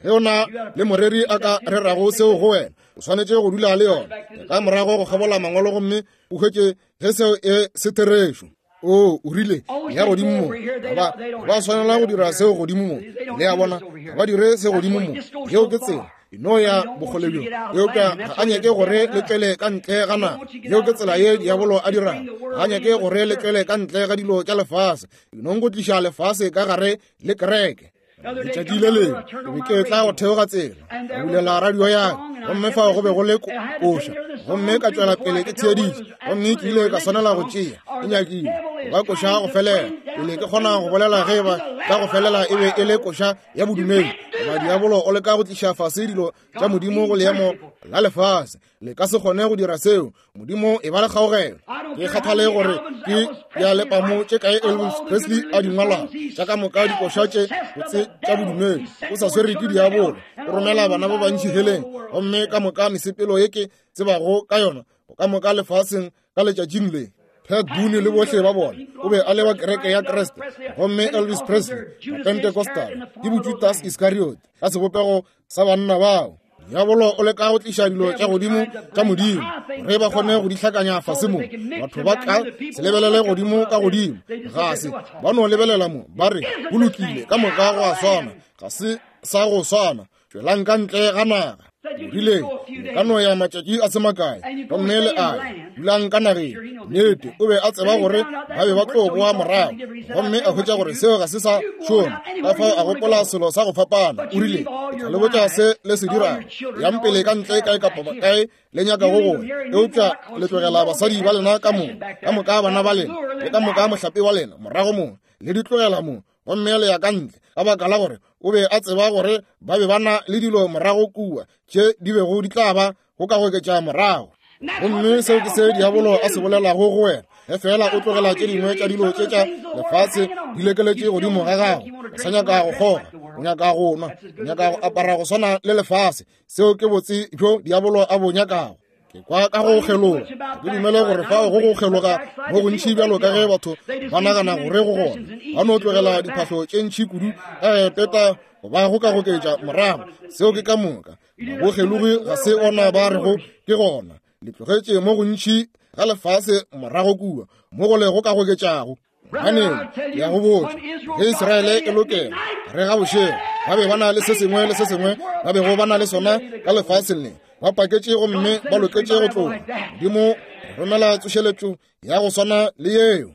Ge o na le moreri a ka rerago seo go wena, o swanetše go dula le yona ka morago go kgabola mangwalo gomme o hwetše ge seo e se therešo. O, o rile, ya godimo mo, ba ba swanela go dira seo godimo mo. Le a bona, ga ba dire se godimo mo. Yeo ke tsela e no ya bokgole bjo. Eupša ga a nyake gore le tšwele ka ntle ga naga. Yeo ke tsela ye diabolo a dirago. Ga a nyake gore le tšwele ka ntle ga dilo tša lefase. E nong go tliša lefase ka gare le kereke. Letšatši le lengwe ke be ke tla go theoga tsela, ka bulela radio ya ka, gomme fao go be go le koša, gomme ka tšwela pele ke theeditše, gomme ke ile ka swanela go tšea e nyakile go ba koša go felela pele ke kgona go bolela ge ba ka go felela e be e le koša ya bodumedi. Goba diabolo o leka go tliša fase dilo tša Modimo go leemo la lefase. Le ka se kgone go dira seo. Modimo e ba le kgaogelo. Ke kgathale gore ke dialepamo tše kae Elvis Presley a di ngwalago, tša ka moka dikoša tše botse tša bodumedi. O sa swere ke diabolo, o romela bana ba bantši heleng, gomme ka moka mesepelo ye ke tsebago ka yona ka moka lefaseng ka letšatšing le. Pat Boone le bohle ba bona, o be a le wa kereke ya Kriste, gomme Elvis Presley, Pentecostal, ke boJudas Iscariot ka sebopego sa banna bao. Diabolo o leka go tliša dilo tša godimo tša Modimo gore ba kgone go di hlakanya fase mo. Batho ba ka se lebelele godimo ka godimo, ga se ba no lebelela mo, ba re go lokile, ka moka go a swana, ga se sa go swana. Tšwelang ka ntle ga naga. O rile, le ka no ya matšatši a se makae, gomme le a dulang ka nageng. Nnete, o be a tseba gore ba be ba tlo boa morago, gomme a hwetša gore seo ga se sa šoma. Ka fao a gopola selo sa go fapana. O rile, ke tla le botša se le se dirago. Yang pele ka ntle kae kapa kae le nyakago go ya, eupša le tlogela basadi ba lena ka mo, ka moka bana ba lena, le ka moka mohlape wa lena morago mo, le di tlogela mo, gomme le ya ka ntle. Ka baka la gore o be a tseba gore ba be ba na le dilo morago kua tše di bego di tla ba go ka goketša morago. Gomme seo ke se diabolo a se bolelago go wena. Ge fela o tlogela tše dingwe tša dilo tše tša lefase di lekeletše godimo ga gago, o sa nyaka go kgoga, o nyaka go nwa, o nyaka go apara go swana le lefase. Seo ke botse bjo diabolo a bo nyakago. Ke kwa ka go kgeloga. Ke dumele gore fao go go kgeloga mo gontši bjalo ka ge batho ba nagana gore go gona. Ba no tlogela diphahlo tše ntši kudu ka peta goba go ka goketša morago. Seo ke ka moka. Bokgelogi ga se ona ba rego ke gona. Le tlogetše mo gontši ga lefase morago kua mo go le go ka goketšago. Ganeng, ke ya go botša, ge Israele e lokela re ga bošego, ba be ba na le se sengwe le se sengwe ba bego ba na le sona ka lefaseng le. Ba paketše gomme ba loketše go tloga. Modimo romela tsošeletšo ya go swana le yeo.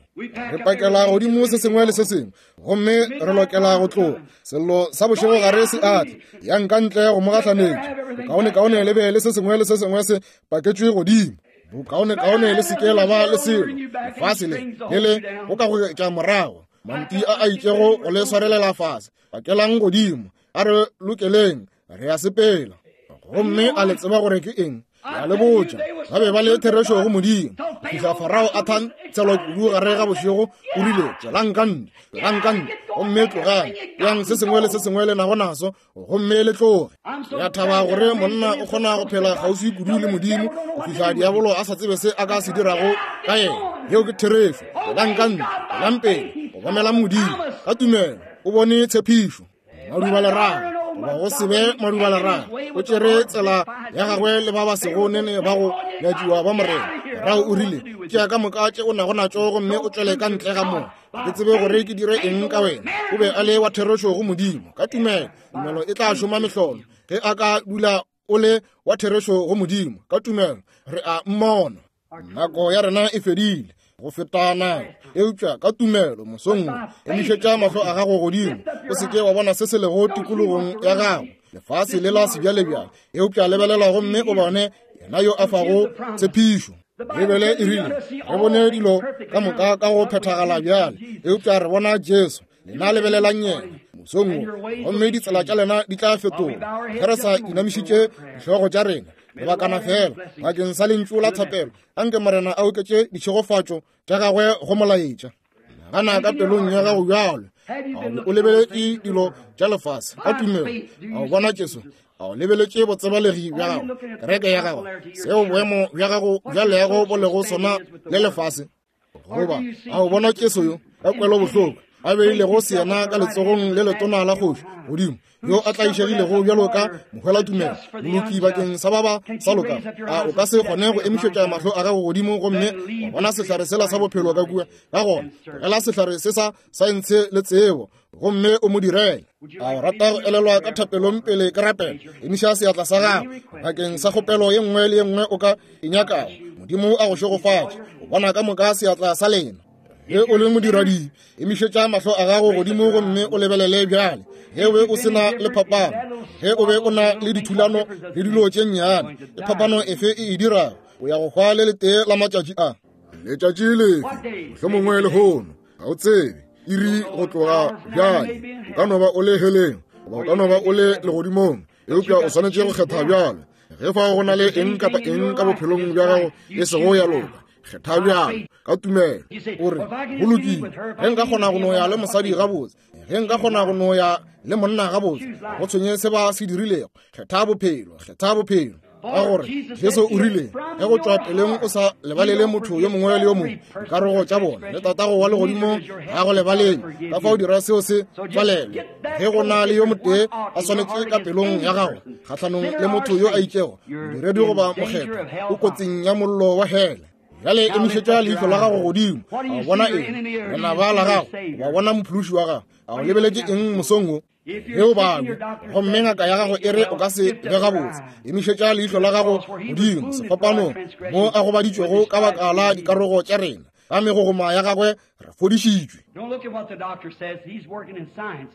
Re pakela godimo se sengwe le se sengwe, gomme re lokela go tloga. Sello sa bošego gare se atle, yang ka ntle go mo gahlanetša. Bokaonekaone le be le se sengwe le se sengwe se paketšwe godimo. Bokaonekaone le se ke la ba le selo. Lefase le le le go ka goketša morago, manti a a itšego go le swarelela fase. Pakelang godimo, a re lokeleng, re a sepela. Gomme a le tseba gore ke eng? Ya le botša, ba be ba le therešo go Modimo. Fihla Farao a thantshelwa kudu gare ga bošego, o rile, tšwelang ka ntle, tšwelang ka ntle, gomme tlogang, yang se sengwe le se sengwe le nago naso, gomme le tloge. Ya thaba gore monna o kgona go phela kgauswi kudu le Modimo go fihla diabolo a sa tsebe se a ka se dirago ka yena. Yeo ke therešo. Tšwelang ka ntle, tšwelang pele, go bomela Modimo ka tumelo. O bone tshepišo. Maduba lerago, goba go se be maduba lerago, o tšere tsela ya gagwe le ba ba sego nene ba go nyatšiwa ba Morena. Morago o rile, tšea ka moka tše o nago natšo gomme o tšwele ka ntle ga moo. Ke tsebe gore ke dire eng ka wena. O be a le wa therešo go Modimo ka tumelo. Tumelo e tla šoma mehlolo ge a ka dula o le wa therešo go Modimo ka tumelo. Re a mmona. Nako ya rena e fedile go feta nako, eupša ka tumelo mosong emišetša mahlo a gago godimo, o se ke wa bona se se lego tikologong ya gago, lefase le la sebjalebjale, eupša lebelela gomme o bone yena yo a fago tshepišo. Bibele e rile re bone dilo ka moka ka go phethagala bjale, eupša re bona Jesu. Lena lebelelang yena mosong wo, gomme ditsela tša lena di tla fetoga. Ge re sa inamišitše dihlogo tša rena lebakana fela bakeng sa lentšu la thapelo, anke Morena a oketše ditšhegofatšo tša gagwe go molaetša. Nagana ka pelong ya gago bjalo, a o lebeletše dilo tša lefase ka tumelo, a o bona Jesu, a o lebeletše botsebalegi bja gago, kereke ya gago, seo boemo bja gago bja leago bo lego sona le lefase, goba a o bona Jesu yo ka kwelobohloko a beilego seyena ka letsogong le letona la kgoši godimo, yo a tlaišegilego bjalo ka mohwelatumelo, moloki bakeng sa ba ba sa lokago. A o ka se kgone go emišetša mahlo a gago godimo gomme wa bona sehlare sela sa bophelo ka kua? Ka gona tlogela sehlare se sa saense le tsebo gomme o mo direle. A o rata go elelwa ka thapelong pele ke rapela? Emiša seatla sa gago bakeng sa kgopelo ye nngwe le ye nngwe o ka e nyakago. Modimo a go šegofatše. O bona ka moka seatla sa lena. Ge o le modiradibe, emišetša mahlo a gago godimo gomme o lebelele bjale. Ge o be o se na le phapano, ge o be o na le dithulano le dilo tše nnyane, ke phapano efe e e dirago? O ya go hwa le letee la matšatši a. Letšatši lefe? Mohlomongwe lehono, ga o tsebe iri go tloga bjale. O ka no ba o le heleng goba o ka no ba o le legodimong, eupša o swanetše go kgetha bjale. Ge fao go na le eng kapa eng ka bophelong bja gago e sego ya loka, kgetha bjalo ka tumelo. O re, go lokile, ge nka kgona go no ya le mosadi gabotse, ge nka kgona go no ya le monna gabotse, go tshwenye se ba se dirilego. Kgetha bophelo, kgetha bophelo. Ka gore Jesu o rile, ge go tšwa peleng o sa lebalele motho yo mongwe le yo mongwe dikarogo tša bona, le tatago wa legodimo ga go lebalele. Ka fao dira seo se tswalelwe. Ge go na le yo motee a swanetše ka pelong ya gago kgahlanong le motho yo a itšego, modiredi goba mokgethwa, o kotsing ya mollo wa hele. Bjale emišetša leihlo la gago godimo, a o bona eng? Lenaba la gago, wa bona mophološi wa gago. A o lebeletše eng mosong wo? Ge o babja gomme ngaka ya gago e re o ka se be gabotse, emišetša leihlo la gago godimo sefapanong mo a gobaditšwego ka baka la dikarogo tša rena, ka megogoma ya gagwe re fodišitšwe. Don't look at what the doctor says. He's working in science.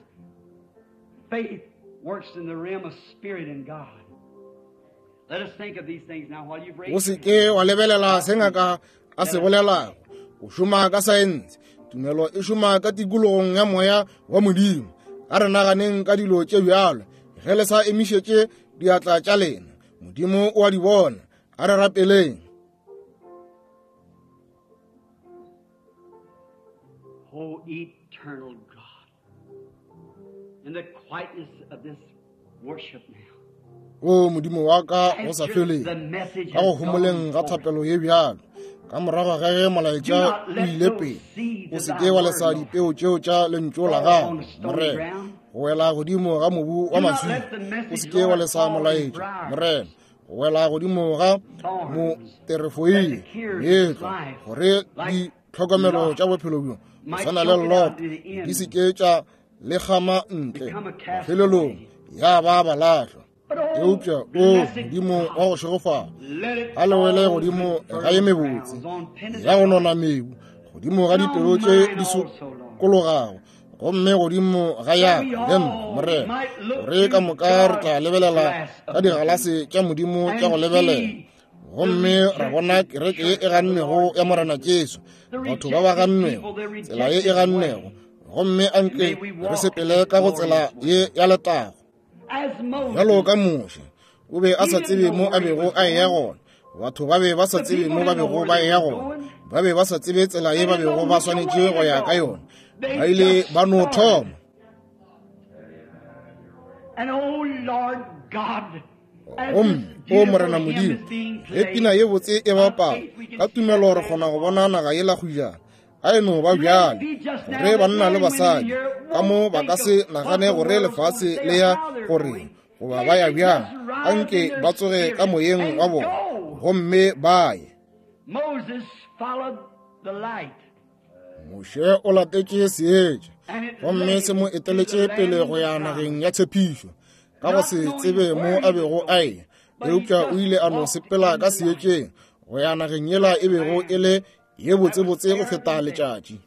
Faith works in the realm of spirit and God. Let us think of these things now while you've O se ke wa lebelela se ngaka a se bolelago. O šoma ka saense, tumelo e šoma ka tikologong ya moya wa Modimo. A re naganeng ka dilo tše bjalo ge le sa emišetše diatla tša lena. Modimo o a di bona. A re rapeleng. O eternal God, in the quietness of this worship now, O Modimo wa ka go sa feleng, ka go homoleng ga thapelo ye bjalo, ka morago ga ge molaetša o ile pele, o se ke wa lesa dipeo tšeo tša lentšu la gago, Morena, go wela godimo ga mobu wa maswika. O se ke wa lesa molaetša, Morena, go wela godimo ga moterefoile meetlwa, gore ditlhokomelo tša bophelo bjo go swana le Loto di se ke tša le kgama ntle mafelelong ya ba balahlwa. Eupša o Modimo wa go šegofala, a le wele godimo ga ye mebotse ya go nona mebu, godimo ga dipelo tše di sokologago, gomme godimo ga ya le nna, Morena, gore ka moka re tla lebelela ka digalase tša Modimo tša go lebelela, gomme ra bona kereke ye e gannwego ya Morena Jesu, batho ba ba gannwego, tsela ye e gannwego, gomme anke re sepele ka go tsela ye ya letago. Bjalo ka Moshe, o be a sa tsebe mo a bego a eya gona. Batho ba be ba sa tsebe mo ba bego ba eya gona. Ba be ba sa tsebe tsela ye ba bego ba swanetše go ya ka yona. Ba ile ba no thoma. Gomme o Morena Modimo, ge pina ye botse e bapala, ka tumelo re kgona go bona naga yela kgojana. A e no ba bjale, gore banna le basadi ka mo ba ka se nagane gore lefase le ya gore goba ba ya bjang, anke ba tsoge ka moyeng wa bona gomme ba ye. Moshe o latetše seetša gomme se mo eteletše pele go ya nageng ya tshepišo, ka go se tsebe mo a bego a eya, eupša o ile a no sepela ka seetšeng go ya nageng yela e bego e le ye botsebotse go feta letšatši.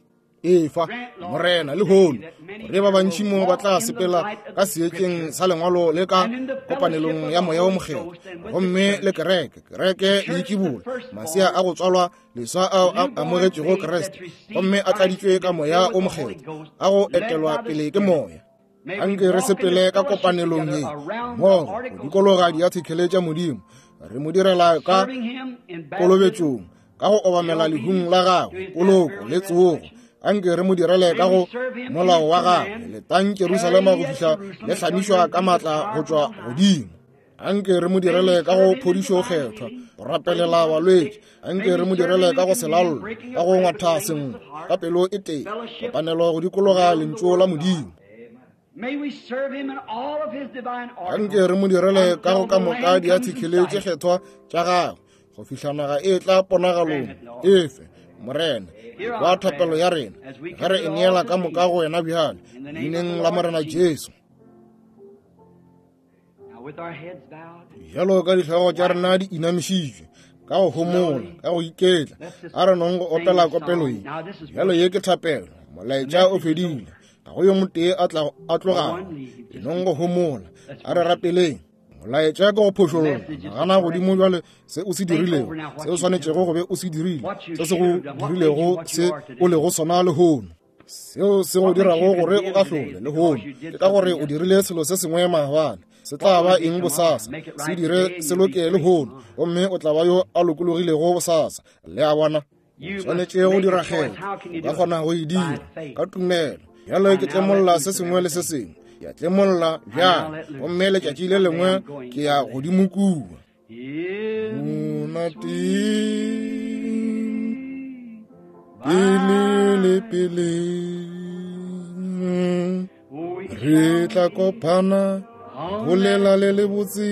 Efa Morena lehono gore ba bantši mo ba tla sepela ka seetšeng sa lengwalo le ka kopanelong ya Moya o Mokgethwa, gomme le kereke, kereke le itšibola masea a go tswalwa leswa ao a amogetšego Kriste gomme a tladitšwe ka Moya o Mokgethwa, a go etelwa pele ke Moya. Anke re sepele ka kopanelong ye mmogo go dikologa diathekele tša Modimo, re mo direla ka kolobetšong, ka go obamela lehung la gagwe, poloko le tsogo. Anke re mo direle ka go molao wa gagwe, letang Jerusalema go fihla le hlamišwa ka maatla go tšwa godimo. Anke re mo direle ka go phodišo kgethwa, go rapelela balwetši. Anke re mo direle ka go selallo, ka go ngwatha sengwe ka pelo e tee, kopanelo go dikologa lentšu la Modimo. Anke re mo direle ka go ka moka diathekele tše kgethwa tša gagwe, go fihla naga e tla ponagalong. Efe Morena wa thapelo ya rena, ge re e neela ka moka go wena bjale, leineng la Morena Jesu. Bjalo ka dihlogo tša rena di inamišitšwe, ka go homola, ka go iketla, a re nong go opela kopelo ye. Bjalo ye ke thapelo, molaetša o fedile, ga go yo motee a tla a tlogago. E nong go homola, a re rapeleng. Molaetša ke go phošolla, nagana godimo bjale se o se dirilego, se o swanetšego go be o se dirile, se se go dirilego se o lego sona lehono, seo se go dirago gore o ahlole lehono, ke ka gore o dirile selo se sengwe maabane, se tla ba eng bosasa, se dire se loke lehono, gomme o tla ba yo a lokologilego bosasa. Le a bona, o swanetše go dira kgetho, o ka kgona go e dira ka tumelo. Bjalo ke tlemolla se sengwe le se sengwe, ke a tlemolla bjale, gomme letšatši le lengwe ke ya godimo kua. Monate pele le pele re tla kopana bolela le le botse.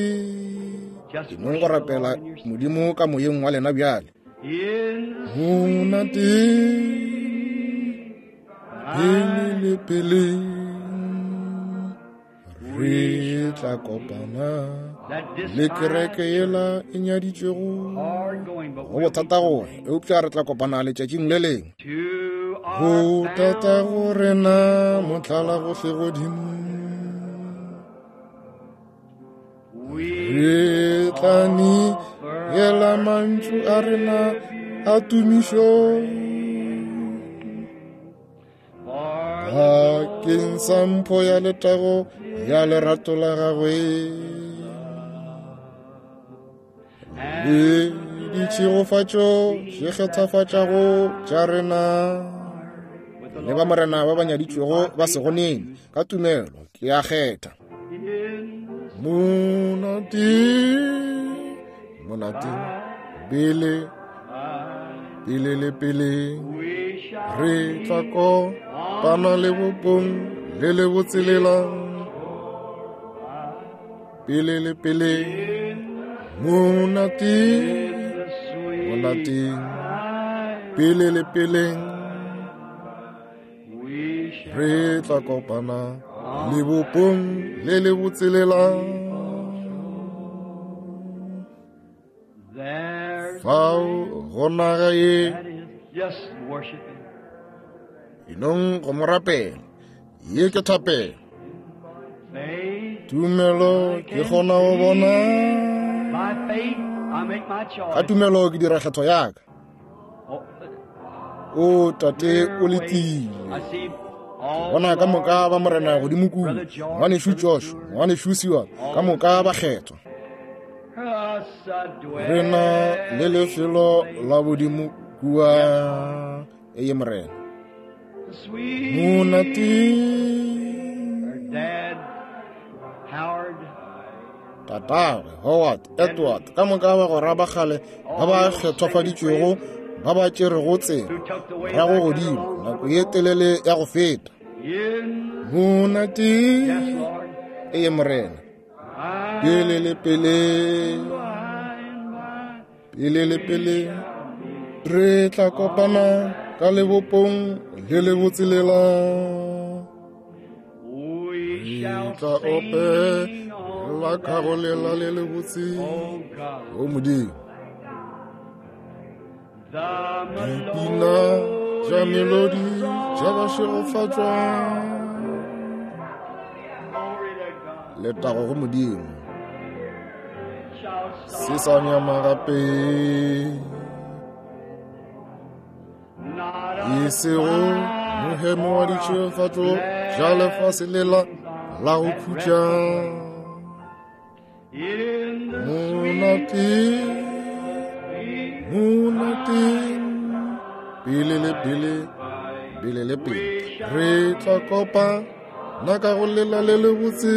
Ke nong go rapela Modimo ka moyeng wa lena bjale. Monate pele le pele re tla kopana le kereke yela e nyaditšwego. Go bothata gore, eupša re tla kopana letšatšing le lengwe. Go thata go rena mohlala gohle godimo, re tla neela mantšu a rena a tumišo bakeng sa mpho ya letago ya lerato la gagwe le ditšhegofatšo tše kgethafatšago tša rena. Le ba Morena ba ba nyaditšwego ba sego nene, ka tumelo ke a kgetha. Monate, monate, pele, pele le pele re tla kopana lebopong le le botselela. Pele le pele, monate, monate, pele le pele re tla kopana lebopong le le botselela. Fao go naga ye, enong go mo rapela. Ye ke thapelo. Tumelo ke kgona go bona, ka tumelo ke dira kgetho ya ka. O tate o letile. Bona ka moka ba Morena godimo kua, ngwanešu Josh, ngwanešu Siwa, ka moka ba kgethwa. Re na le lefelo la bodimo kua. Eye Morena. Monate tatagwe Howard, Edward, ka moka ba gora ba kgale ba ba kgethwafaditšwego, ba ba tšerego tsela morago godimo nako ye telele ya go feta. Monate eye Morena. Pele le pele, pele le pele re tla kopana ka lebopong le le botselela. Re tla opela ka go lela le le botse. O Modimo. Dipina tša melodi tša bašegofatšwa. Letago go Modimo. Se sa nyama gape. E sego mohemo wa ditšhegofatšo tša lefase lela la go khutša. Monate, monate, pele le pele, pele le pele. Re tla kopa na ka go lela le le botse.